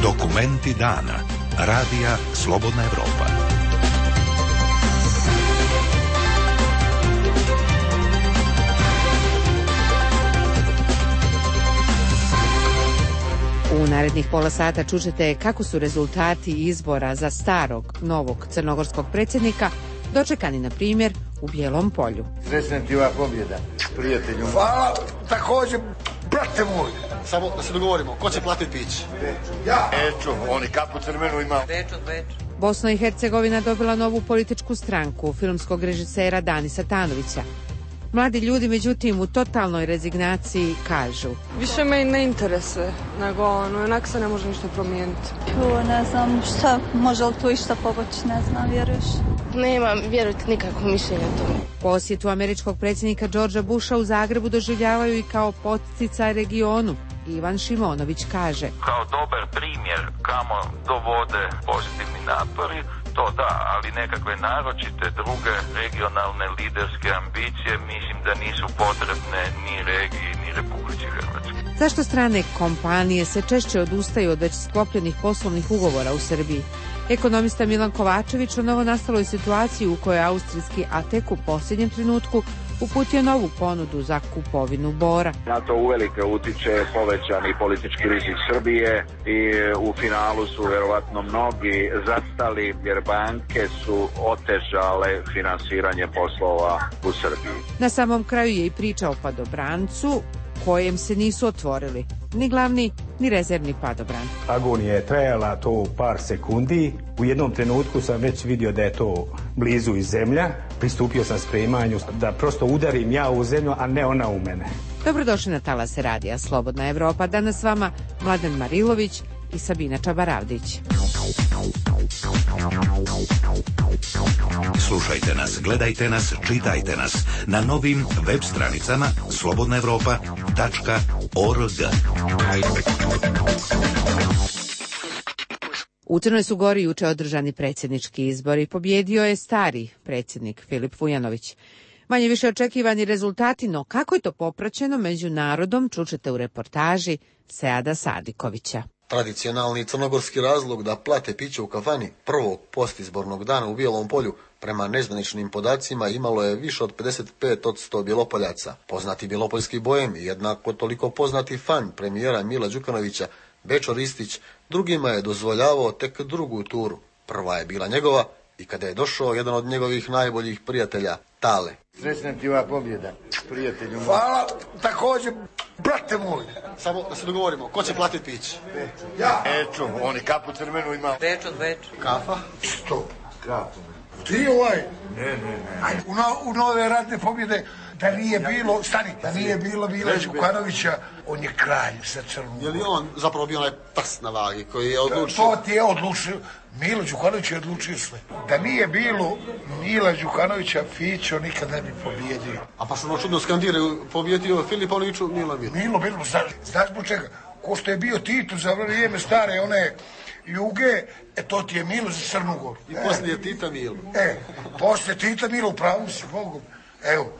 [SPEAKER 17] Dokumenti dana. Radija Slobodna Evropa.
[SPEAKER 1] U narednih pola sata čućete kako su rezultati izbora za starog, novog crnogorskog predsjednika dočekani, na primjer, u Bijelom Polju.
[SPEAKER 4] Srećna ti ova pobjeda, prijatelju.
[SPEAKER 6] Hvala, također, brate moj.
[SPEAKER 7] Samo da se dogovorimo, ko će platiti pić?
[SPEAKER 6] Ja. Bečo, oni kapu crvenu ima.
[SPEAKER 7] Bečo.
[SPEAKER 1] Bosna i Hercegovina dobila novu političku stranku filmskog režisera Danisa Tanovića. Mladi ljudi, međutim, u totalnoj rezignaciji kažu:
[SPEAKER 24] više me ne interesuje, nego onak se ne može ništa promijeniti.
[SPEAKER 25] Ne znam šta, može li tu išta pomoći, ne znam, vjeruješ?
[SPEAKER 26] Nemam, vjerujte, nikakvo mišljenje o tome.
[SPEAKER 1] Posjetu američkog predsjednika Georgea Busha u Zagrebu doživljavaju i kao poticaj regionu. Ivan Šimonović kaže:
[SPEAKER 27] kao dobar primjer kamo dovode pozitivni napori, to da, ali nekakve naročite druge regionalne liderske ambicije mislim da nisu potrebne ni regiji ni Republici Hrvatske.
[SPEAKER 1] Zašto strane kompanije se češće odustaju od već sklopljenih poslovnih ugovora u Srbiji? Ekonomista Milan Kovačević o novonastaloj situaciji u kojoj austrijski ATEK u posljednjem trenutku uputio novu ponudu za kupovinu bora.
[SPEAKER 28] Na to uvelike utiče povećani politički rizik Srbije i u finalu su verovatno mnogi zastali jer banke su otežale finansiranje poslova u Srbiji.
[SPEAKER 1] Na samom kraju je i priča o padobrancu kojem se nisu otvorili ni glavni ni rezervni padobran.
[SPEAKER 29] Agonija je trajala to par sekundi. U jednom trenutku sam već vidio da je to blizu iz zemlja. Pristupio sam spremanju da prosto udarim ja u zemlju, a ne ona u mene.
[SPEAKER 1] Dobrodošli na talase radija Slobodna Evropa. Danas s vama Mladen Marilović i Sabina Čabaravdić.
[SPEAKER 17] Slušajte nas, gledajte nas, čitajte nas na novim web stranicama slobodnaevropa.org.
[SPEAKER 1] U Crnoj su Gori juče održani predsjednički izbori. Pobjedio je stari predsjednik Filip Vujanović. Manje više očekivani rezultati, no kako je to popraćeno među narodom, čućete u reportaži Seada Sadikovića.
[SPEAKER 7] Tradicionalni crnogorski razlog da plate piće u kafani prvog postizbornog dana u Bijelom Polju prema nezvaničnim podacima imalo je više od 55% Bjelopoljaca. Poznati bjelopoljski bojem i jednako toliko poznati fan premijera Mila Đukanovića, Bečo Ristić, drugima je dozvoljavao tek drugu turu. Prva je bila njegova i kada je došao jedan od njegovih najboljih prijatelja, Tale.
[SPEAKER 4] Srećna ti ova pobjeda, prijatelju.
[SPEAKER 6] Hvala, također, brate moj.
[SPEAKER 7] Samo da se dogovorimo, ko će platiti pić?
[SPEAKER 6] Ja. Bečo, oni kapu crvenu ima.
[SPEAKER 7] Bečo. Kafa?
[SPEAKER 6] Stop. Kafu. Ti Ne. Ajde, u nove ratne pobjede, da nije bilo, da nije bilo Mila Đukanovića, on je kralj sa Crnom.
[SPEAKER 7] Je li on zapravo bio onaj prst na vagi koji je odlučio?
[SPEAKER 6] To ti je odlučio. Milo Đukanović je odlučio sve. Da nije bilo Mila Đukanovića, Fićo nikad ne bi pobjedio.
[SPEAKER 7] A pa što ono čudno skandiraju, pobjedio Filipoviću, Milo.
[SPEAKER 6] Milo, znaš zbog čega? Ko što je bio Tito za vrijeme stare one Juge, to ti je Milo za Crnu Goru.
[SPEAKER 7] I poslije Tita Milo.
[SPEAKER 6] Poslije Tita Milo, upravo si, Bogom. Evo.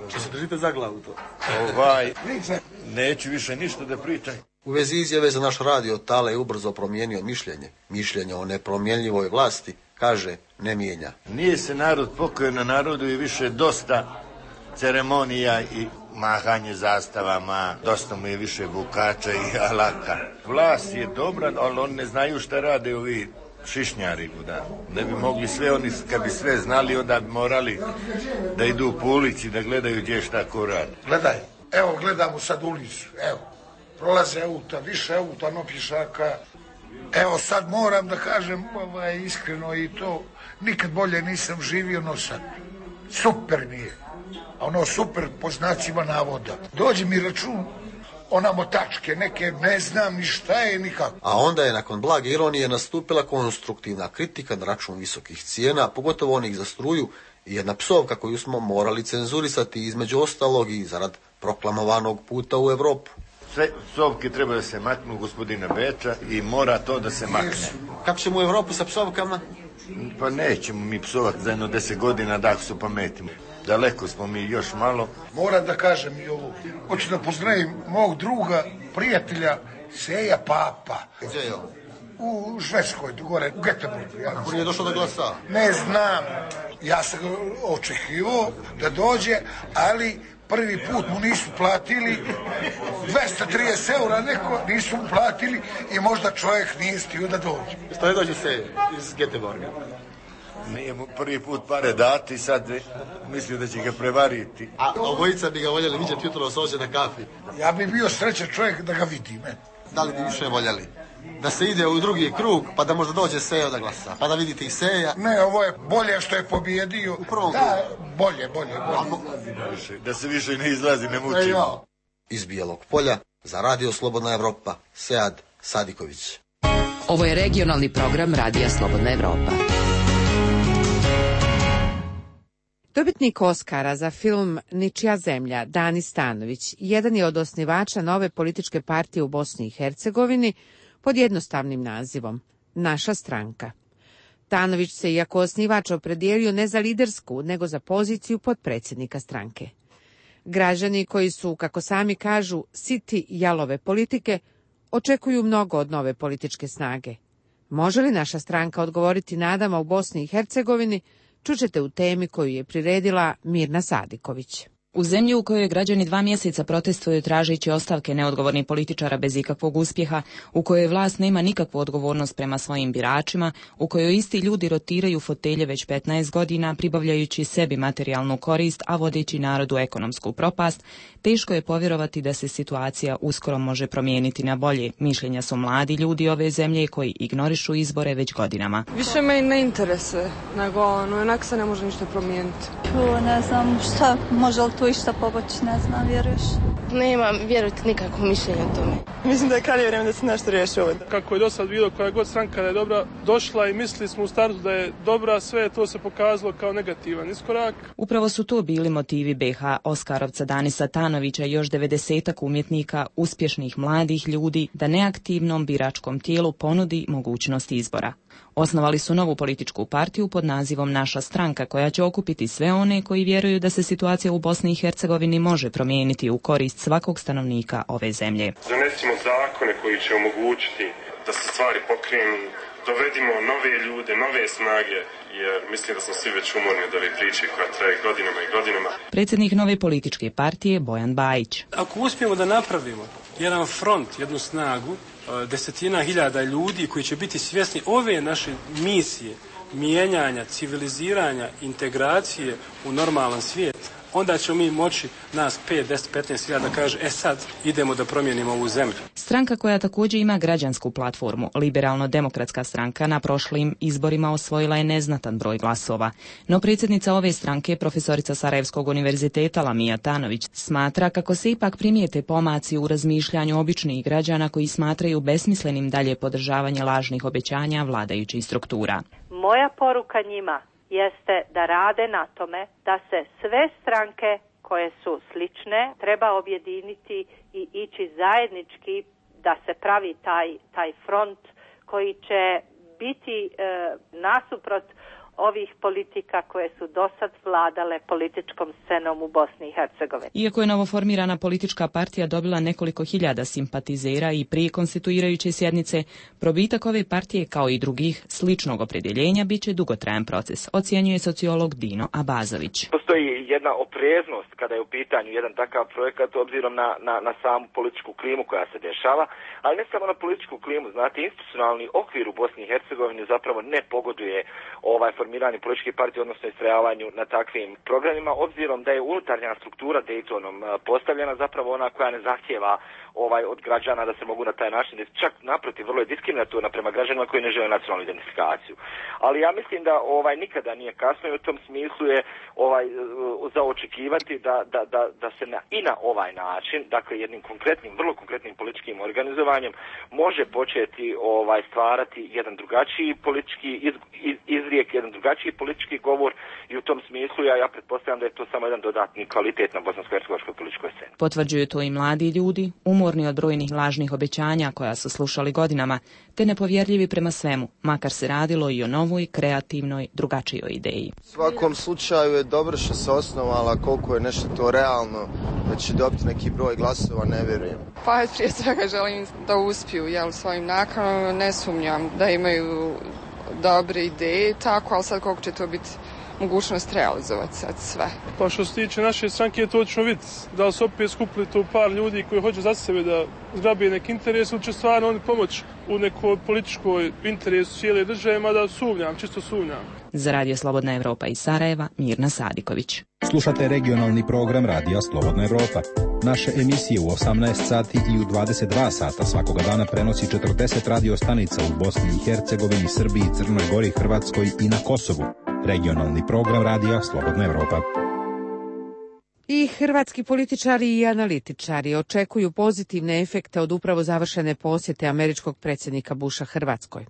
[SPEAKER 7] Što se držite za glavu to?
[SPEAKER 4] Neću više ništa da pričam.
[SPEAKER 7] U vezi izjave za naš radio, Tale je ubrzo promijenio mišljenje o nepromjenljivoj vlasti, kaže, ne mijenja.
[SPEAKER 4] Nije se narod pokojio, na narodu je više dosta ceremonija i mahanje zastavama, dosta mu je više bukača i alaka. Vlast je dobra, ali oni ne znaju šta rade ovi šišnjari. Da. Ne bi mogli sve, oni kad bi sve znali, onda bi morali da idu po ulici, da gledaju gdje šta ko radi.
[SPEAKER 6] Gledaj, evo gledamo sad ulicu, evo, prolaze auta, više auta, no pješaka. Evo sad moram da kažem iskreno i to, nikad bolje nisam živio no sad. Super mi je. Ono super po znacima navoda. Dođe mi račun, ona motačke neke, ne znam ni šta je nikako.
[SPEAKER 7] A onda je nakon blage ironije nastupila konstruktivna kritika na račun visokih cijena, pogotovo onih za struju, i jedna psovka koju smo morali cenzurisati, između ostalog i zarad proklamovanog puta u Europu.
[SPEAKER 4] Sve psovke treba da se maknu gospodina Beča i mora to da se makne.
[SPEAKER 7] Kako ćemo u Europu sa psovkama?
[SPEAKER 4] Pa nećemo mi psovati za jedno 10 godina da su pametimo. Daleko smo mi još malo.
[SPEAKER 6] Moram da kažem i ovo. Hoću da pozdravim mog druga, prijatelja, Seja Papa.
[SPEAKER 7] Gdje je on?
[SPEAKER 6] U Švedskoj, gore, u Göteborgu.
[SPEAKER 7] Kako nije došao da glasa?
[SPEAKER 6] Ne znam. Ja sam očekivao da dođe, ali prvi put mu nisu platili 230 eura, neko nisu mu platili i možda čovjek nije stio da dođe.
[SPEAKER 7] Što ne dođe se iz Göteborga?
[SPEAKER 4] Nije mu prvi put pare dati, sad mislio da će ga prevariti.
[SPEAKER 7] A obojica bi ga voljeli vidjeti jutro ovdje na kafi.
[SPEAKER 6] Ja bi bio srećan čovjek da ga vidim.
[SPEAKER 7] Da li bi više voljeli? Da se ide u drugi krug, pa da možda dođe Seja da glasa, pa da vidite i Seja.
[SPEAKER 6] Ne, ovo je bolje što je pobjedio.
[SPEAKER 7] U prvom krugu?
[SPEAKER 6] Da, bolje.
[SPEAKER 4] Da se više ne izlazi, ne mučimo.
[SPEAKER 7] Iz Bijelog Polja, za Radio Slobodna Evropa, Sead Sadiković.
[SPEAKER 21] Ovo je regionalni program Radija Slobodna Evropa.
[SPEAKER 1] Dobitnik Oskara za film Ničija zemlja, Dani Stanović, jedan je od osnivača nove političke partije u Bosni i Hercegovini pod jednostavnim nazivom Naša stranka. Stanović se, iako osnivač, opredijelio ne za lidersku, nego za poziciju potpredsjednika stranke. Građani koji su, kako sami kažu, siti jalove politike, očekuju mnogo od nove političke snage. Može li naša stranka odgovoriti nadama u Bosni i Hercegovini, čućete u temi koju je priredila Mirna Sadiković.
[SPEAKER 9] U zemlji u kojoj građani 2 mjeseca protestuju tražeći ostavke neodgovornih političara bez ikakvog uspjeha, u kojoj vlast nema nikakvu odgovornost prema svojim biračima, u kojoj isti ljudi rotiraju fotelje već 15 godina, pribavljajući sebi materijalnu korist, a vodeći narodu ekonomsku propast, teško je povjerovati da se situacija uskoro može promijeniti na bolje. Mišljenja su mladi ljudi ove zemlje koji ignorišu izbore već godinama.
[SPEAKER 24] Više me ne interesuje, nego onak se ne može ništa promijeniti.
[SPEAKER 25] Ne znam šta, može li tu išta pomoći, ne znam, vjeruješ?
[SPEAKER 26] Nemam, vjerujte, nikakvo mišljenje o tome.
[SPEAKER 24] Mislim da je krajnje vrijeme da se nešto riješi ovo.
[SPEAKER 10] Kako je do sad bilo, koja god stranka da je dobra došla i mislili smo u startu da je dobra, sve to se pokazalo kao negativan iskorak.
[SPEAKER 9] Upravo su to bili motivi BH Oskarovca Danisa Stanovića i još 90-ak umjetnika, uspješnih mladih ljudi, da neaktivnom biračkom tijelu ponudi mogućnost izbora. Osnovali su novu političku partiju pod nazivom Naša stranka, koja će okupiti sve one koji vjeruju da se situacija u Bosni i Hercegovini može promijeniti u korist svakog stanovnika ove zemlje.
[SPEAKER 11] Donesimo zakone koji će omogućiti da se stvari pokrenu, dovedimo nove ljude, nove snage, jer mislim da smo svi već umorni od ove priče koja traje godinama i godinama.
[SPEAKER 9] Predsjednik nove političke partije Bojan Bajić.
[SPEAKER 10] Ako uspijemo da napravimo jedan front, jednu snagu, 10.000 ljudi koji će biti svjesni ove naše misije, mijenjanja, civiliziranja, integracije u normalan svijet, onda ćemo mi moći, nas 5, 10, 15.000 da kaže, sad idemo da promijenimo ovu zemlju.
[SPEAKER 9] Stranka koja također ima građansku platformu, Liberalno-demokratska stranka, na prošlim izborima osvojila je neznatan broj glasova. No predsjednica ove stranke, profesorica Sarajevskog univerziteta Lamija Tanović, smatra kako se ipak primijete pomaci u razmišljanju običnih građana koji smatraju besmislenim dalje podržavanje lažnih obećanja vladajućih struktura.
[SPEAKER 12] Moja poruka njima jeste da rade na tome da se sve stranke koje su slične treba objediniti i ići zajednički, da se pravi taj front koji će biti nasuprot ovih politika koje su dosad vladale političkom scenom u Bosni i Hercegovini.
[SPEAKER 9] Iako je novoformirana politička partija dobila nekoliko hiljada simpatizera i prije konstituirajuće sjednice, probitak ove partije kao i drugih sličnog opredjeljenja bit će dugotrajan proces, ocjenjuje sociolog Dino Abazović.
[SPEAKER 2] Postoji jedna opreznost kada je u pitanju jedan takav projekat obzirom na samu političku klimu koja se dešava, ali ne samo na političku klimu, znate, institucionalni okvir u Bosni i Hercegovini zapravo ne pogoduje formiranju političke partije, odnosno istrajavanju na takvim programima, obzirom da je unutarnja struktura Daytonom postavljena zapravo ona koja ne zahtjeva od građana da se mogu na taj način, čak naprotiv, vrlo je diskriminatorna prema građanima koji ne žele nacionalnu identifikaciju. Ali ja mislim da nikada nije kasno i u tom smislu je za očekivati da se i na ovaj način, dakle jednim konkretnim, vrlo konkretnim političkim organizovanjem može početi stvarati jedan drugačiji politički izrijek, jedan drugačiji politički govor i u tom smislu ja pretpostavljam da je to samo jedan dodatni kvalitet na bosansko-hercegovačkoj političkoj sceni.
[SPEAKER 9] Potvrđuju to i mladi ljudi, umorni od brojnih lažnih obećanja koja su slušali godinama, te nepovjerljivi prema svemu, makar se radilo i o novoj, kreativnoj, drugačijoj ideji.
[SPEAKER 8] U svakom slučaju je dobro što se osnovala, koliko je nešto to realno, da će dobiti neki broj glasova, ne vjerujem.
[SPEAKER 24] Pa prije svega želim da uspiju svojim nakanama, ne sumnjam da imaju dobre ideje, tako, ali sad koliko će to biti mogućnost realizovati sad sve.
[SPEAKER 10] Pa što se tiče naše stranke, to ćemo vidjeti. Da li se opet skupili to par ljudi koji hoće za sebe da zgrabe neki interes ili će stvarno oni pomoći u nekoj političkoj interesu cijele države, mada sumnjam, čisto sumnjam.
[SPEAKER 9] Za Radio Slobodna Evropa iz Sarajeva, Mirna Sadiković.
[SPEAKER 13] Slušate regionalni program Radija Slobodna Evropa. Naše emisije u 18 sati i u 22 sata svakoga dana prenosi 40 radio stanica u Bosni i Hercegovini, Srbiji, Crnoj Gori, Hrvatskoj i na Kosovu. Regionalni program Radija Slobodna Evropa.
[SPEAKER 1] I hrvatski političari i analitičari očekuju pozitivne efekte od upravo završene posjete američkog predsjednika Busha Hrvatskoj.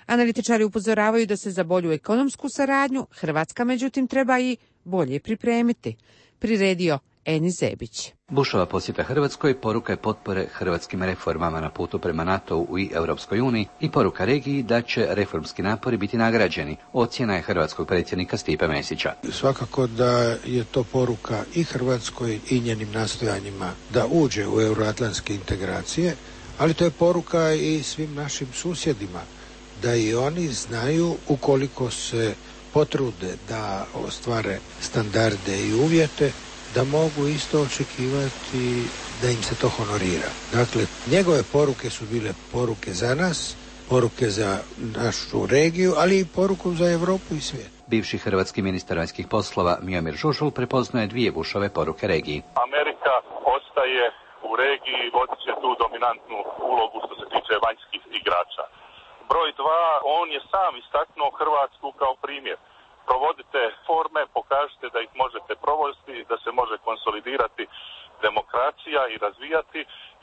[SPEAKER 1] Analitičari upozoravaju da se za bolju ekonomsku saradnju Hrvatska međutim treba i bolje pripremiti. Priredio Eni Zebić.
[SPEAKER 14] Bushova posjeta Hrvatskoj poruka je potpore hrvatskim reformama na putu prema NATO-u i Europskoj uniji i poruka regiji da će reformski napori biti nagrađeni, ocjena je hrvatskog predsjednika Stipe Mesića.
[SPEAKER 6] Svakako da je to poruka i Hrvatskoj i njenim nastojanjima da uđe u euroatlantske integracije, ali to je poruka i svim našim susjedima, da i oni znaju ukoliko se potrude da ostvare standarde i uvjete, da mogu isto očekivati da im se to honorira. Dakle, njegove poruke su bile poruke za nas, poruke za našu regiju, ali i poruku za Europu i svijet.
[SPEAKER 14] Bivši hrvatski ministar vanjskih poslova Miomir Žužul prepoznaje dvije Bushove poruke regiji.
[SPEAKER 15] Amerika ostaje u regiji, vodit će tu dominantnu ulogu što se tiče vanjskih igrača. Broj 2, on je sam istaknuo Hrvatsku kao primjer. Provodite forme, pokažite da ih možete provesti, da se može konsolidirati demokracija i razvijati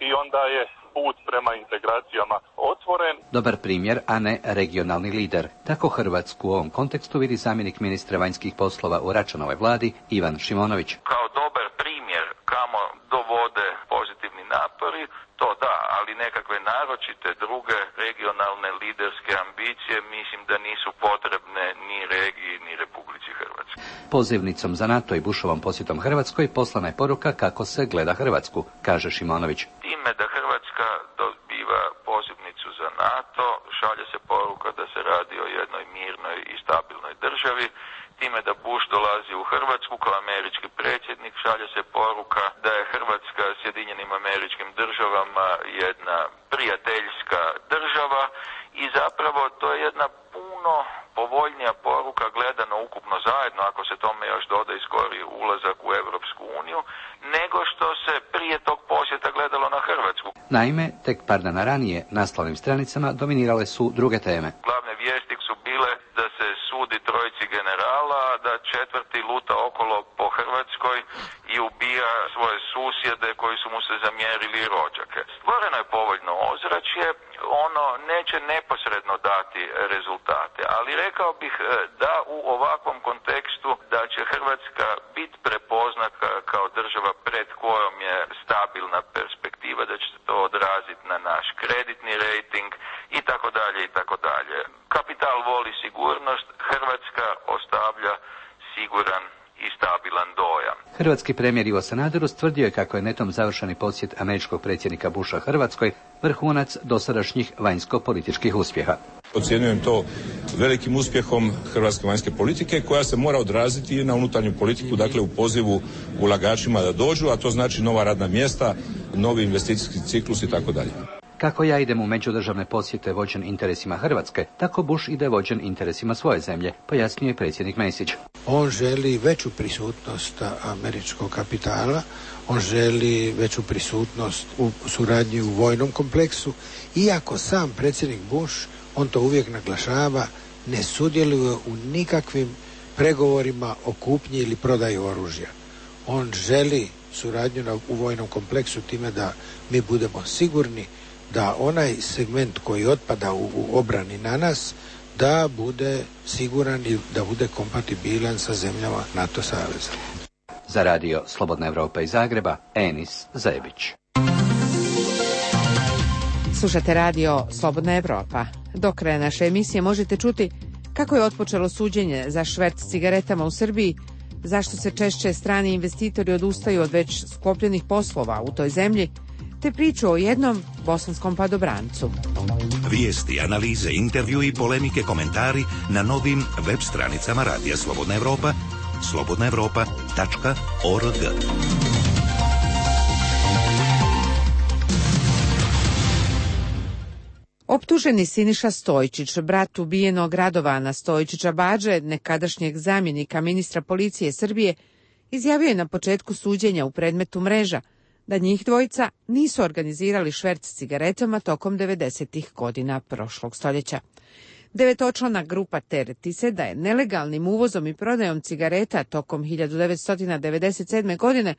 [SPEAKER 15] i onda je put prema integracijama otvoren.
[SPEAKER 14] Dobar primjer, a ne regionalni lider. Tako Hrvatsku u ovom kontekstu vidi zamjenik ministra vanjskih poslova u Račanovoj vladi Ivan Šimonović.
[SPEAKER 27] Kao dobar primjer kamo dovode pozitivni napori, to da, ali nekakve naročite druge regionalne liderske ambicije mislim da nisu potrebne ni regiji ni Republici Hrvatskoj.
[SPEAKER 14] Pozivnicom za NATO i Bushovom posjetom Hrvatskoj poslana je poruka kako se gleda Hrvatsku, kaže Šimonović.
[SPEAKER 27] Time da Hrvatska dobiva pozivnicu za NATO, šalje se poruka da se radi o jednoj mirnoj i stabilnoj državi. Time da Bush dolazi u Hrvatsku kao američki predsjednik, šalje se poruka da je Hrvatska Sjedinjenim Američkim Državama jedna prijateljska država i zapravo to je jedna puno povoljnija poruka gledano ukupno zajedno, ako se tome još doda i skori ulazak u Europsku uniju, nego što se prije tog posjeta gledalo na Hrvatsku.
[SPEAKER 14] Naime, tek par dana ranije naslovnim stranicama dominirale su druge teme.
[SPEAKER 27] Glavne vijesti su bile da se sudi trojici generala, da četvrti luta okolo po Hrvatskoj i ubija svoje susjede koji su mu se zamjerili rođake. Stvoreno je povoljno ozračje, ono neće neposredno dati rezultate, ali rekao bih da u ovakvom kontekstu da će Hrvatska biti prepoznata kao država pred kojom je stabilna perspektiva, da će se to odraziti na naš kreditni rejting i tako dalje i tako dalje. Kapital voli sigurnost, Hrvatska o
[SPEAKER 14] Hrvatski premijer Ivo Sanader ustvrdio je kako je netom završeni posjet američkog predsjednika Busha Hrvatskoj vrhunac dosadašnjih vanjsko-političkih uspjeha.
[SPEAKER 3] Ocjenjujem to velikim uspjehom hrvatske vanjske politike koja se mora odraziti i na unutarnju politiku, dakle u pozivu ulagačima da dođu, a to znači nova radna mjesta, novi investicijski ciklus i tako dalje.
[SPEAKER 14] Kako ja idem u međudržavne posjete vođen interesima Hrvatske, tako Bush ide vođen interesima svoje zemlje, pojasnio je predsjednik Mesić.
[SPEAKER 5] On želi veću prisutnost američkog kapitala, on želi veću prisutnost u suradnji u vojnom kompleksu, iako sam predsjednik Bush, on to uvijek naglašava, ne sudjeluje u nikakvim pregovorima o kupnji ili prodaji oružja. On želi suradnju u vojnom kompleksu time da mi budemo sigurni da onaj segment koji otpada u obrani na nas, da bude siguran i da bude kompatibilan sa zemljama NATO saveza.
[SPEAKER 14] Za radio Slobodna Evropa iz Zagreba, Enis Zebić.
[SPEAKER 1] Slušate radio Slobodna Evropa. Do kraja naše emisije možete čuti kako je otpočelo suđenje za šverc cigaretama u Srbiji, zašto se češće strani investitori odustaju od već sklopljenih poslova u toj zemlji, te priču o jednom bosanskom padobrancu.
[SPEAKER 17] Vijesti, analize, intervju i polemike, komentari na novim web stranicama Radija Slobodna Evropa, slobodnaevropa.org.
[SPEAKER 1] Optuženi Siniša Stojčić, brat ubijenog Radovana Stojčića Badže, nekadašnjeg zamjenika ministra policije Srbije, izjavio je na početku suđenja u predmetu Mreža da njih dvojica nisu organizirali šverc cigaretama tokom 90. godina prošlog stoljeća. 9-člana grupa tereti se da je nelegalnim uvozom i prodajom cigareta tokom 1997. godine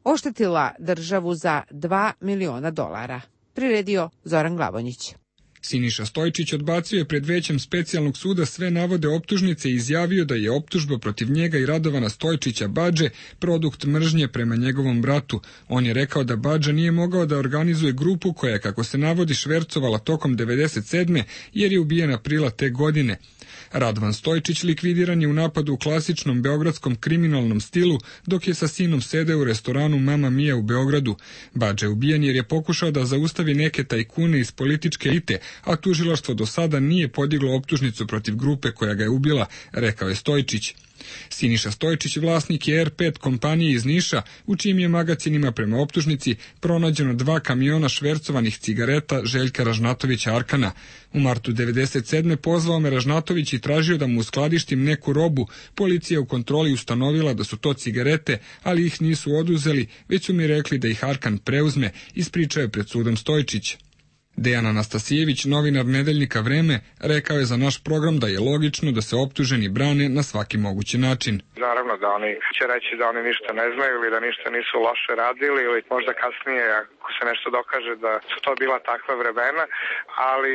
[SPEAKER 1] oštetila državu za $2 miliona. Priredio Zoran Glavonjić.
[SPEAKER 16] Siniša Stojčić odbacio je pred većem specijalnog suda sve navode optužnice i izjavio da je optužba protiv njega i Radovana Stojčića Badže produkt mržnje prema njegovom bratu. On je rekao da Badža nije mogao da organizuje grupu koja je, kako se navodi, švercovala tokom 97. jer je ubijen aprila te godine. Radovan Stojčić likvidiran je u napadu u klasičnom beogradskom kriminalnom stilu dok je sa sinom sedeo u restoranu Mama Mia u Beogradu. Badža je ubijen jer je pokušao da zaustavi neke tajkune iz političke elite, a tužilaštvo do sada nije podiglo optužnicu protiv grupe koja ga je ubila, rekao je Stojčić. Siniša Stojčić vlasnik je R5 kompanije iz Niša, u čijim je magacinima prema optužnici pronađeno 2 kamiona švercovanih cigareta Željka Ražnatovića Arkana. U martu 97. pozvao me Ražnatović i tražio da mu uskladištim neku robu. Policija u kontroli ustanovila da su to cigarete, ali ih nisu oduzeli, već su mi rekli da ih Arkan preuzme, ispričao je pred sudom Stojčić. Dejan Anastasijević, novinar nedeljnika Vreme, rekao je za naš program da je logično da se optuženi brane na svaki mogući način.
[SPEAKER 18] Naravno da oni će reći da oni ništa ne znaju ili da ništa nisu loše radili ili možda kasnije ako se nešto dokaže da su to bila takva vremena, ali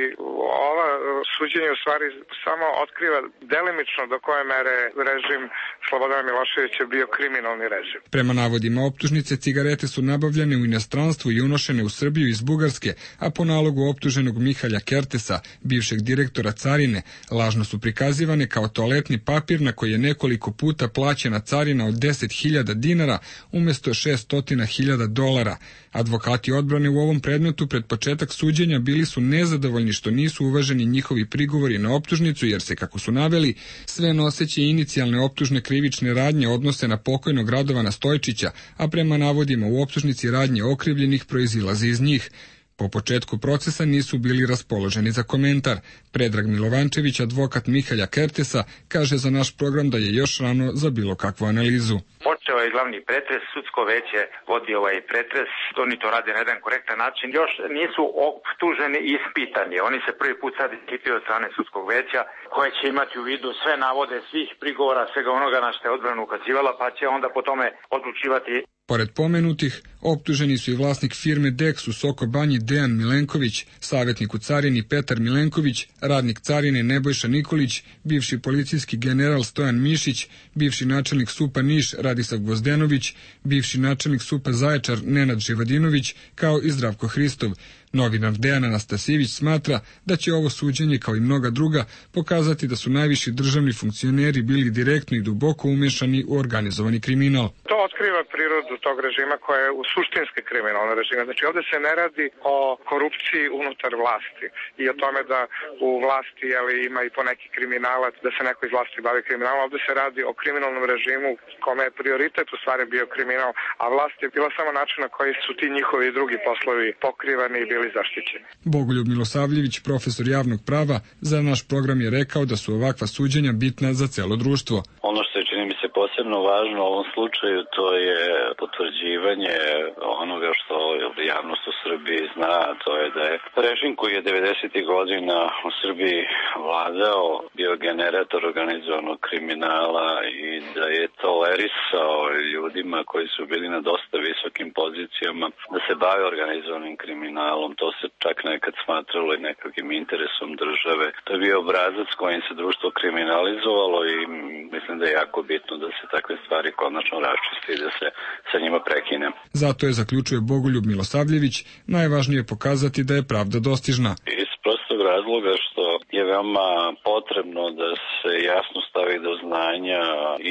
[SPEAKER 18] ova suđenje u stvari samo otkriva delimično do koje mere režim Slobodana Miloševića bio kriminalni režim. Prema navodima optužnice, cigarete su nabavljene u inostranstvu i unošene u Srbiju iz Bugarske, a po nalogu optuženog Mihalja Kertesa, bivšeg direktora carine, lažno su prikazivane kao toaletni papir na koji je nekoliko puta plaćena carina od 10.000 dinara umjesto $600.000. Advokati odbrane u ovom predmetu pred početak suđenja bili su nezadovoljni što nisu uvaženi njihovi prigovori na optužnicu, jer se, kako su naveli, sve noseće inicijalne optužne krivične radnje odnose na pokojnog Radovana Stojčića, a prema navodima u optužnici radnje okrivljenih proizilaze iz njih. Po početku procesa nisu bili raspoloženi za komentar. Predrag Milovančević, advokat Mihalja Kertesa, kaže za naš program da je još rano za bilo kakvu analizu.
[SPEAKER 19] Počeo je glavni pretres, sudsko veće vodi ovaj pretres, oni to rade na jedan korektan način, još nisu optuženi i ispitani. Oni se prvi put sad ispitaju od strane sudskog veća, koje će imati u vidu sve navode svih prigovora, svega onoga na što je odbrana ukazivala, pa će onda po tome odlučivati.
[SPEAKER 16] Pored pomenutih, Optuženi su i vlasnik firme Dex u Soko Banji Dejan Milenković, savjetnik u carini Petar Milenković, radnik carine Nebojša Nikolić, bivši policijski general Stojan Mišić, bivši načelnik SUP-a Niš Radislav Gvozdenović, bivši načelnik SUP-a Zaječar Nenad Živadinović, kao i Zdravko Hristov. Novinar Dejan Anastasijević smatra da će ovo suđenje, kao i mnoga druga, pokazati da su najviši državni funkcioneri bili direktno i duboko umešani u organizovani kriminal.
[SPEAKER 18] To otkriva prirodu tog režima koja je u suštinski kriminalni režim. Znači ovdje se ne radi o korupciji unutar vlasti i o tome da u vlasti ima i poneki kriminalac, da se neko iz vlasti bavi kriminalom. Ovdje se radi o kriminalnom režimu kome je prioritet u stvari bio kriminal, a vlast je bila samo način na koji su ti njihovi drugi poslovi pokrivani i bili zaštićeni.
[SPEAKER 16] Bogoljub Milosavljević, profesor javnog prava, za naš program je rekao da su ovakva suđenja bitna za celo društvo.
[SPEAKER 4] Ono što je, čini mi se, posebno važno u ovom slučaju, to je potvrđivanje onoga što javnost u Srbiji zna, to je da je režim koji je 90. godina u Srbiji vladao bio generator organizovanog kriminala i da je tolerisao ljudima koji su bili na dosta visokim pozicijama da se bave organizovanim kriminalom. To se čak nekad smatralo i nekakvim interesom države. To je bio obrazac kojim se društvo kriminalizovalo i mislim da je jako bitno da se takve stvari konačno raščiste i da se sa njima prekine.
[SPEAKER 16] Zato je, zaključuje Bogoljub Milosavljević, najvažnije pokazati da je pravda dostižna.
[SPEAKER 4] Iz prostog razloga što je veoma potrebno da se jasno stavi do znanja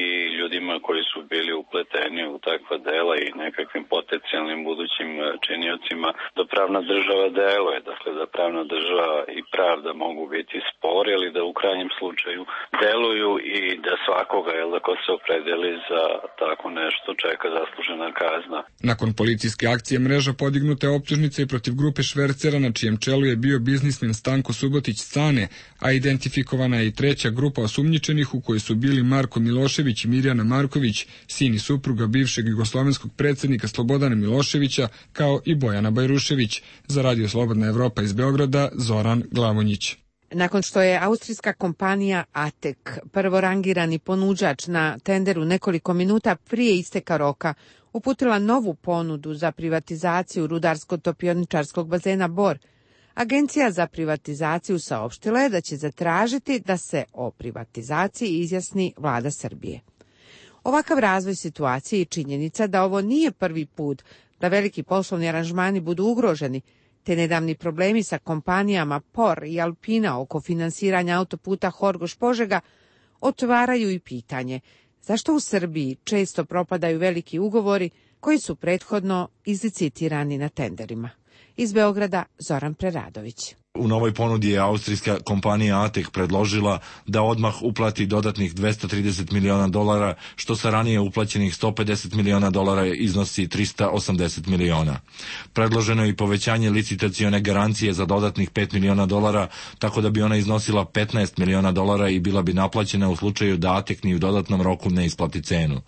[SPEAKER 4] i ljudima koji su bili upleteni u takva dela i nekakvim potencijalnim budućim činiocima da pravna država deluje, dakle da pravna država i pravda mogu biti spori, ali da u krajnjem slučaju deluju i da svakoga, ko se opredeli za tako nešto, čeka zaslužena kazna.
[SPEAKER 16] Nakon policijske akcije mreža podignuta je optužnica i protiv grupe švercera na čijem čelu je bio biznismen Stanko Subotić Cane, a identifikovana je i treća grupa osumnjičenih u kojoj su bili Marko Milošević i Mirjana Marković, sin i supruga bivšeg jugoslovenskog predsjednika Slobodana Miloševića, kao i Bojana Bajrušević. Za Radio Slobodna Evropa iz Beograda, Zoran Glavonjić.
[SPEAKER 1] Nakon što je austrijska kompanija ATEK, prvorangirani ponuđač na tenderu nekoliko minuta prije isteka roka, uputila novu ponudu za privatizaciju rudarsko-topioničarskog bazena Bor, Agencija za privatizaciju saopštila je da će zatražiti da se o privatizaciji izjasni vlada Srbije. Ovakav razvoj situacije i činjenica da ovo nije prvi put da veliki poslovni aranžmani budu ugroženi, te nedavni problemi sa kompanijama POR i Alpina oko finansiranja autoputa Horgoš-Požega otvaraju i pitanje zašto u Srbiji često propadaju veliki ugovori koji su prethodno izlicitirani na tenderima. Iz Beograda, Zoran Preradović.
[SPEAKER 7] U novoj ponudi je austrijska kompanija ATEK predložila da odmah uplati dodatnih $230 miliona, što sa ranije uplaćenih $150 miliona iznosi $380 miliona. Predloženo je i povećanje licitacione garancije za dodatnih $5 miliona, tako da bi ona iznosila $15 miliona i bila bi naplaćena u slučaju da ATEK ni u dodatnom roku ne isplati cenu.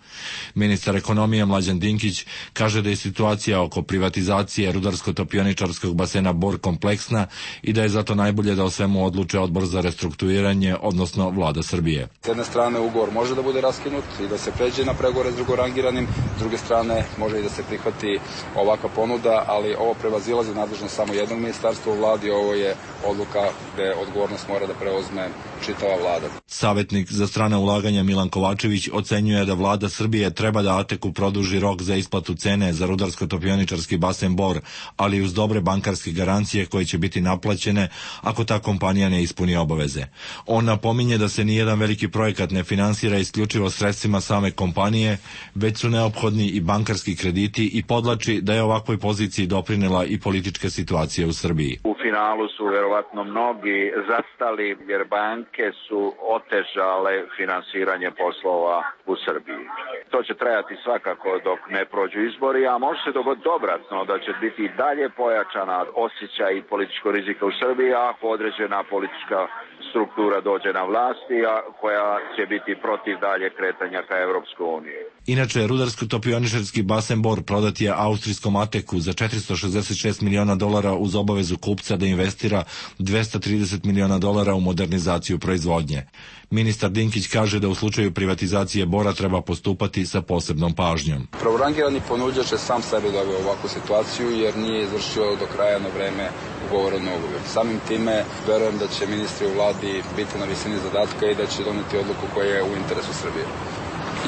[SPEAKER 7] Ministar ekonomije Mlađan Dinkić kaže da je situacija oko privatizacije rudarsko-topioničarskog basena Bor kompleksna i da je zato najbolje da o svemu odluče Odbor za restrukturiranje, odnosno vlada Srbije.
[SPEAKER 20] S jedne strane ugovor može da bude raskinut i da se pređe na pregovore s drugorangiranim, s druge strane može i da se prihvati ovakva ponuda, ali ovo prevazilazi nadležnost samo jednog ministarstva u vladi, ovo je odluka gde odgovornost mora da preuzme čitava vlada.
[SPEAKER 7] Savjetnik za strana ulaganja Milan Kovačević ocenjuje da vlada Srbije treba da ATEK-u produži rok za isplatu cene za rudarsko-topioničarski basen Bor, ali uz dobre bankarske garancije koje će biti naplaćene ako ta kompanija ne ispuni obaveze. On napominje da se nijedan veliki projekat ne finansira isključivo sredstvima same kompanije, već su neophodni i bankarski krediti i podlači da je ovakvoj poziciji doprinela i politička situacija u Srbiji.
[SPEAKER 21] U finalu su verovatno mnogi zastali jer banke su otežale finansiranje poslova u Srbiji. To će trajati svakako dok ne prođu izbori, a može se dogoditi obratno da će biti i dalje pojačana osjećaj i političko rizika u Srbiji ako određena politička struktura dođe na vlasti, a koja će biti protiv dalje kretanja ka Evropskoj uniji.
[SPEAKER 7] Inače, rudarsko-topioničarski basen Bor prodat je austrijskom Ateku za $466 miliona uz obavezu kupca da investira $230 miliona u modernizaciju proizvodnje. Ministar Dinkić kaže da u slučaju privatizacije Bora treba postupati sa posebnom pažnjom.
[SPEAKER 20] Prvorangirani ponuđač je sam sebi doveo ovakvu situaciju jer nije izvršio do kraja na vreme ugovoren ugovor. Samim time verujem da će ministri u vladi biti na visini zadatka i da će doneti odluku koja je u interesu Srbije.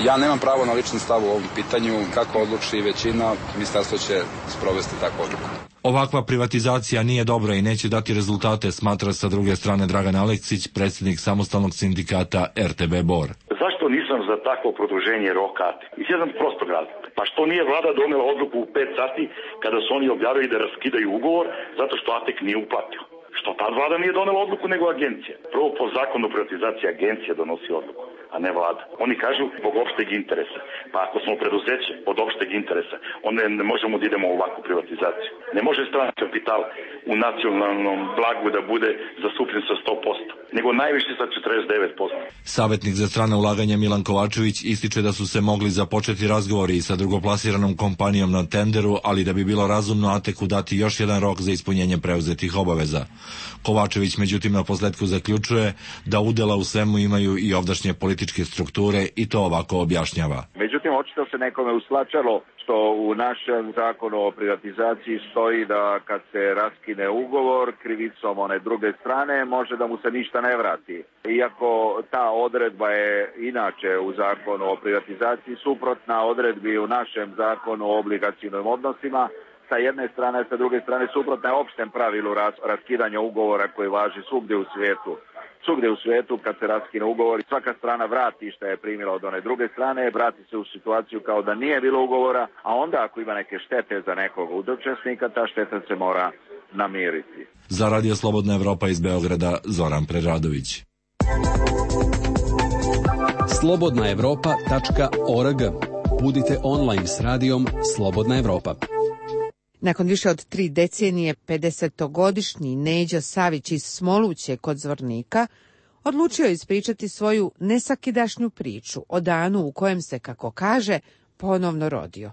[SPEAKER 20] Ja nemam pravo na lični stav u ovom pitanju. Kako odluči većina, ministarstvo će sprovesti takvu odluku.
[SPEAKER 7] Ovakva privatizacija nije dobra i neće dati rezultate, smatra sa druge strane Dragan Aleksić, predsjednik samostalnog sindikata RTB Bor.
[SPEAKER 2] Zašto nisam za takvo produženje roka? Iz jedan prostog razloga. Pa što nije vlada donela odluku u 5 sati kada su oni objavili da raskidaju ugovor zato što Atek nije uplatio? Što tad vlada nije donela odluku nego agencija? Prvo po zakonu o privatizaciji agencija donosi odluku, a ne vlada. Oni kažu zbog opšteg interesa. Pa ako smo preduzeće od opšteg interesa, onda ne možemo da idemo u ovakvu privatizaciju. Ne može strani kapital u nacionalnom blagu da bude zastupljen sa 100%, nego najviše sa 49%.
[SPEAKER 7] Savjetnik za strana ulaganja Milan Kovačević ističe da su se mogli započeti razgovori sa drugoplasiranom kompanijom na tenderu, ali da bi bilo razumno Ateku dati još jedan rok za ispunjenje preuzetih obaveza. Kovačević međutim na posledku zaključuje da udela u svemu imaju i ovdašnje političke strukture i to ovako objašnjava.
[SPEAKER 21] Međutim, očito se nekome uslačalo što u našem zakonu o privatizaciji stoji da kad se raskine ugovor krivicom one druge strane može da mu se ništa ne vrati. Iako ta odredba je inače u zakonu o privatizaciji suprotna odredbi u našem zakonu o obligacijnim odnosima, sa jedne strane, sa druge strane suprotna je opštem pravilu raskidanja ugovora koji važi svugdje u svijetu. Svugdje u svijetu kad se raskine ugovor, svaka strana vrati što je primila od one druge strane, vrati se u situaciju kao da nije bilo ugovora, a onda ako ima neke štete za nekog od učesnika, ta šteta se mora namiriti.
[SPEAKER 7] Za Radio Slobodna Evropa iz Beograda, Zoran Preradović.
[SPEAKER 11] slobodnaevropa.org. Budite online s radijom Slobodna Evropa.
[SPEAKER 1] Nakon više od 3 decenije, 50-godišnji Neđo Savić iz Smoluće kod Zvornika odlučio ispričati svoju nesakidašnju priču o danu u kojem se, kako kaže, ponovno rodio.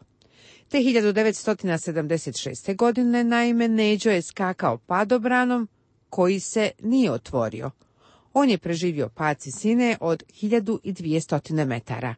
[SPEAKER 1] Te 1976. godine, naime, Neđo je skakao padobranom koji se nije otvorio. On je preživio pad visine od 1200 metara,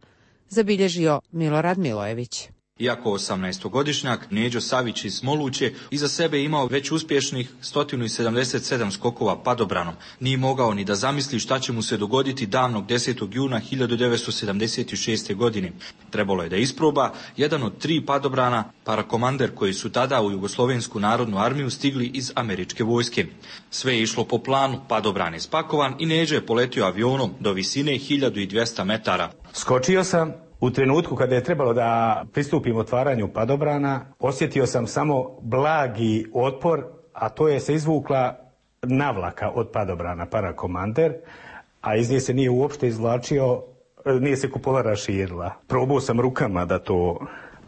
[SPEAKER 1] zabilježio Milorad Milojević.
[SPEAKER 12] Iako 18-godišnjak, Neđo Savić iz Smoluće iza sebe imao već uspješnih 177 skokova padobranom. Nije mogao ni da zamisli šta će mu se dogoditi davnog 10. juna 1976. godine. Trebalo je da isproba jedan od 3 padobrana, parakomander koji su tada u Jugoslovensku narodnu armiju stigli iz američke vojske. Sve je išlo po planu, padobran je spakovan i Neđo je poletio avionom do visine 1200 metara.
[SPEAKER 22] Skočio sam. U trenutku kada je trebalo da pristupim otvaranju padobrana, osjetio sam samo blagi otpor, a to je se izvukla navlaka od padobrana parakomander, a iz nje se nije uopšte izvlačio, nije se kupola raširila. Probao sam rukama da to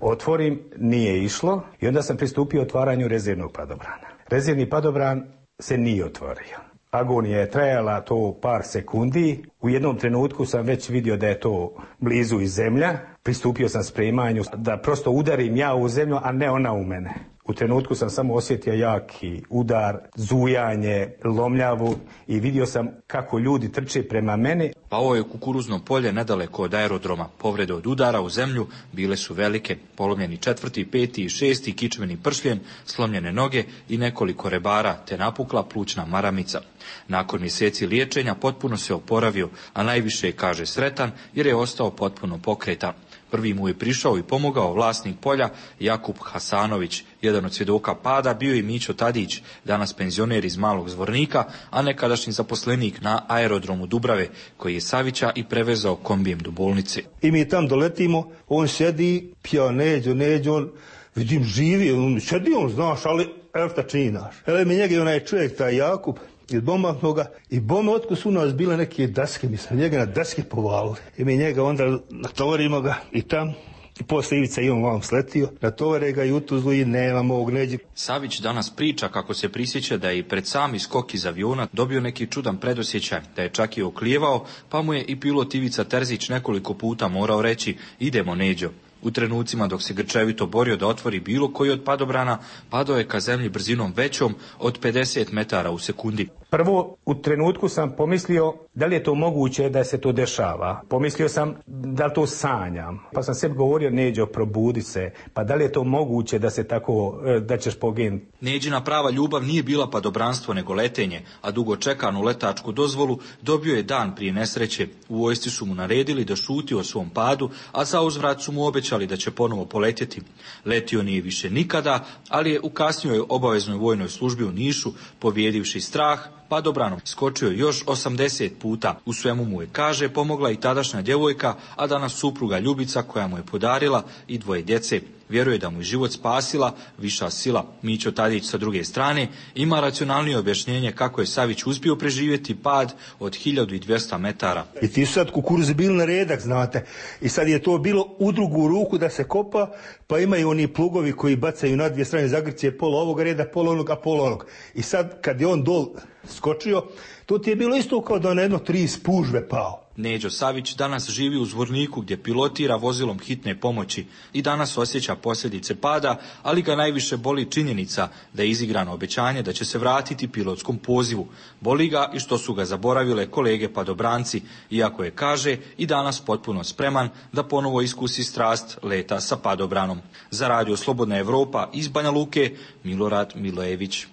[SPEAKER 22] otvorim, nije išlo i onda sam pristupio otvaranju rezervnog padobrana. Rezervni padobran se nije otvorio. Agonija je trajala to par sekundi. U jednom trenutku sam već vidio da je to blizu i zemlja. Pristupio sam spremanju da prosto udarim ja u zemlju, a ne ona u mene. U trenutku sam samo osjetio jaki udar, zujanje, lomljavu i vidio sam kako ljudi trče prema meni.
[SPEAKER 12] Pao je kukuruzno polje nedaleko od aerodroma. Povrede od udara u zemlju bile su velike. Polomljeni 4., 5. i 6. kičmeni pršljen, slomljene noge i nekoliko rebara, te napukla plućna maramica. Nakon mjeseci liječenja potpuno se oporavio, a najviše je, kaže, sretan jer je ostao potpuno pokretan. Prvi mu je prišao i pomogao vlasnik polja Jakub Hasanović. Jedan od svjedoka pada bio je Mićo Tadić, danas penzioner iz Malog Zvornika, a nekadašnji zaposlenik na aerodromu Dubrave, koji je Savića i prevezao kombijem do bolnice.
[SPEAKER 23] I mi tam doletimo, on sjedi, pija Neđo, on, vidim živi, on sjedi, on znaš, ali evo šta čini naš. Ele mi njega je onaj čovjek, taj Jakub, iz bombaknoga i bome otko su nas bile neke daske, mi smo njega na daske povalili. I mi njega onda natovarimo ga i tam I posle Ivica Ivan vam sletio, natovare ga i u Tuzlu i nemamo ovog Neđe.
[SPEAKER 12] Savić danas priča kako se prisjeća da je i pred sami skok iz aviona dobio neki čudan predosjećaj, da je čak i oklijevao, pa mu je i pilot Ivica Terzić nekoliko puta morao reći idemo Neđo. U trenucima dok se grčevito borio da otvori bilo koji od padobrana, padao je ka zemlji brzinom većom od 50 metara u sekundi.
[SPEAKER 22] Prvo, u trenutku sam pomislio da li je to moguće da se to dešava. Pomislio sam da li to sanjam. Pa sam sebi govorio, Neđo, probudi se. Pa da li je to moguće da se tako, da ćeš poginuti?
[SPEAKER 12] Neđina prava ljubav nije bila padobranstvo nego letenje, a dugo čekanu letačku dozvolu dobio je dan prije nesreće. U vojsci su mu naredili da šuti o svom padu, a za uzvrat su mu obećali da će ponovo poletjeti. Letio nije više nikada, ali je u kasnijoj obaveznoj vojnoj službi u Nišu, pobijedivši strah, padobranom skočio još 80 puta. U svemu mu je, kaže, pomogla i tadašnja djevojka, a danas supruga Ljubica koja mu je podarila i 2 djece. Vjeruje da mu je život spasila viša sila. Mićo Tadić sa druge strane ima racionalnije objašnjenje kako je Savić uspio preživjeti pad od 1200 metara.
[SPEAKER 23] I ti su sad kukuruzi bili na redak, znate. I sad je to bilo u drugu ruku da se kopa, pa imaju oni plugovi koji bacaju na dvije strane zagrcije, pola ovog reda, pola onog, a pola onog. I sad kad je on dol skočio, to ti je bilo isto kao da na jedno 3 spužve pao.
[SPEAKER 12] Neđo Savić danas živi u Zvorniku gdje pilotira vozilom hitne pomoći i danas osjeća posljedice pada, ali ga najviše boli činjenica da je izigrano obećanje da će se vratiti pilotskom pozivu. Boli ga i što su ga zaboravile kolege padobranci, iako je, kaže, i danas potpuno spreman da ponovo iskusi strast leta sa padobranom. Za Radio Slobodna Evropa iz Banja Luke, Milorad Milojević.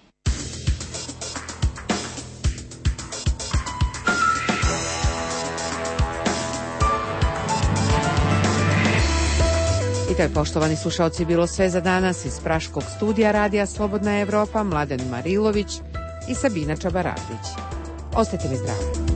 [SPEAKER 1] To je, poštovani slušalci, bilo sve za danas iz praškog studija Radija Slobodna Evropa, Mladen Marilović i Sabina Čabaradić. Ostajte mi zdravi.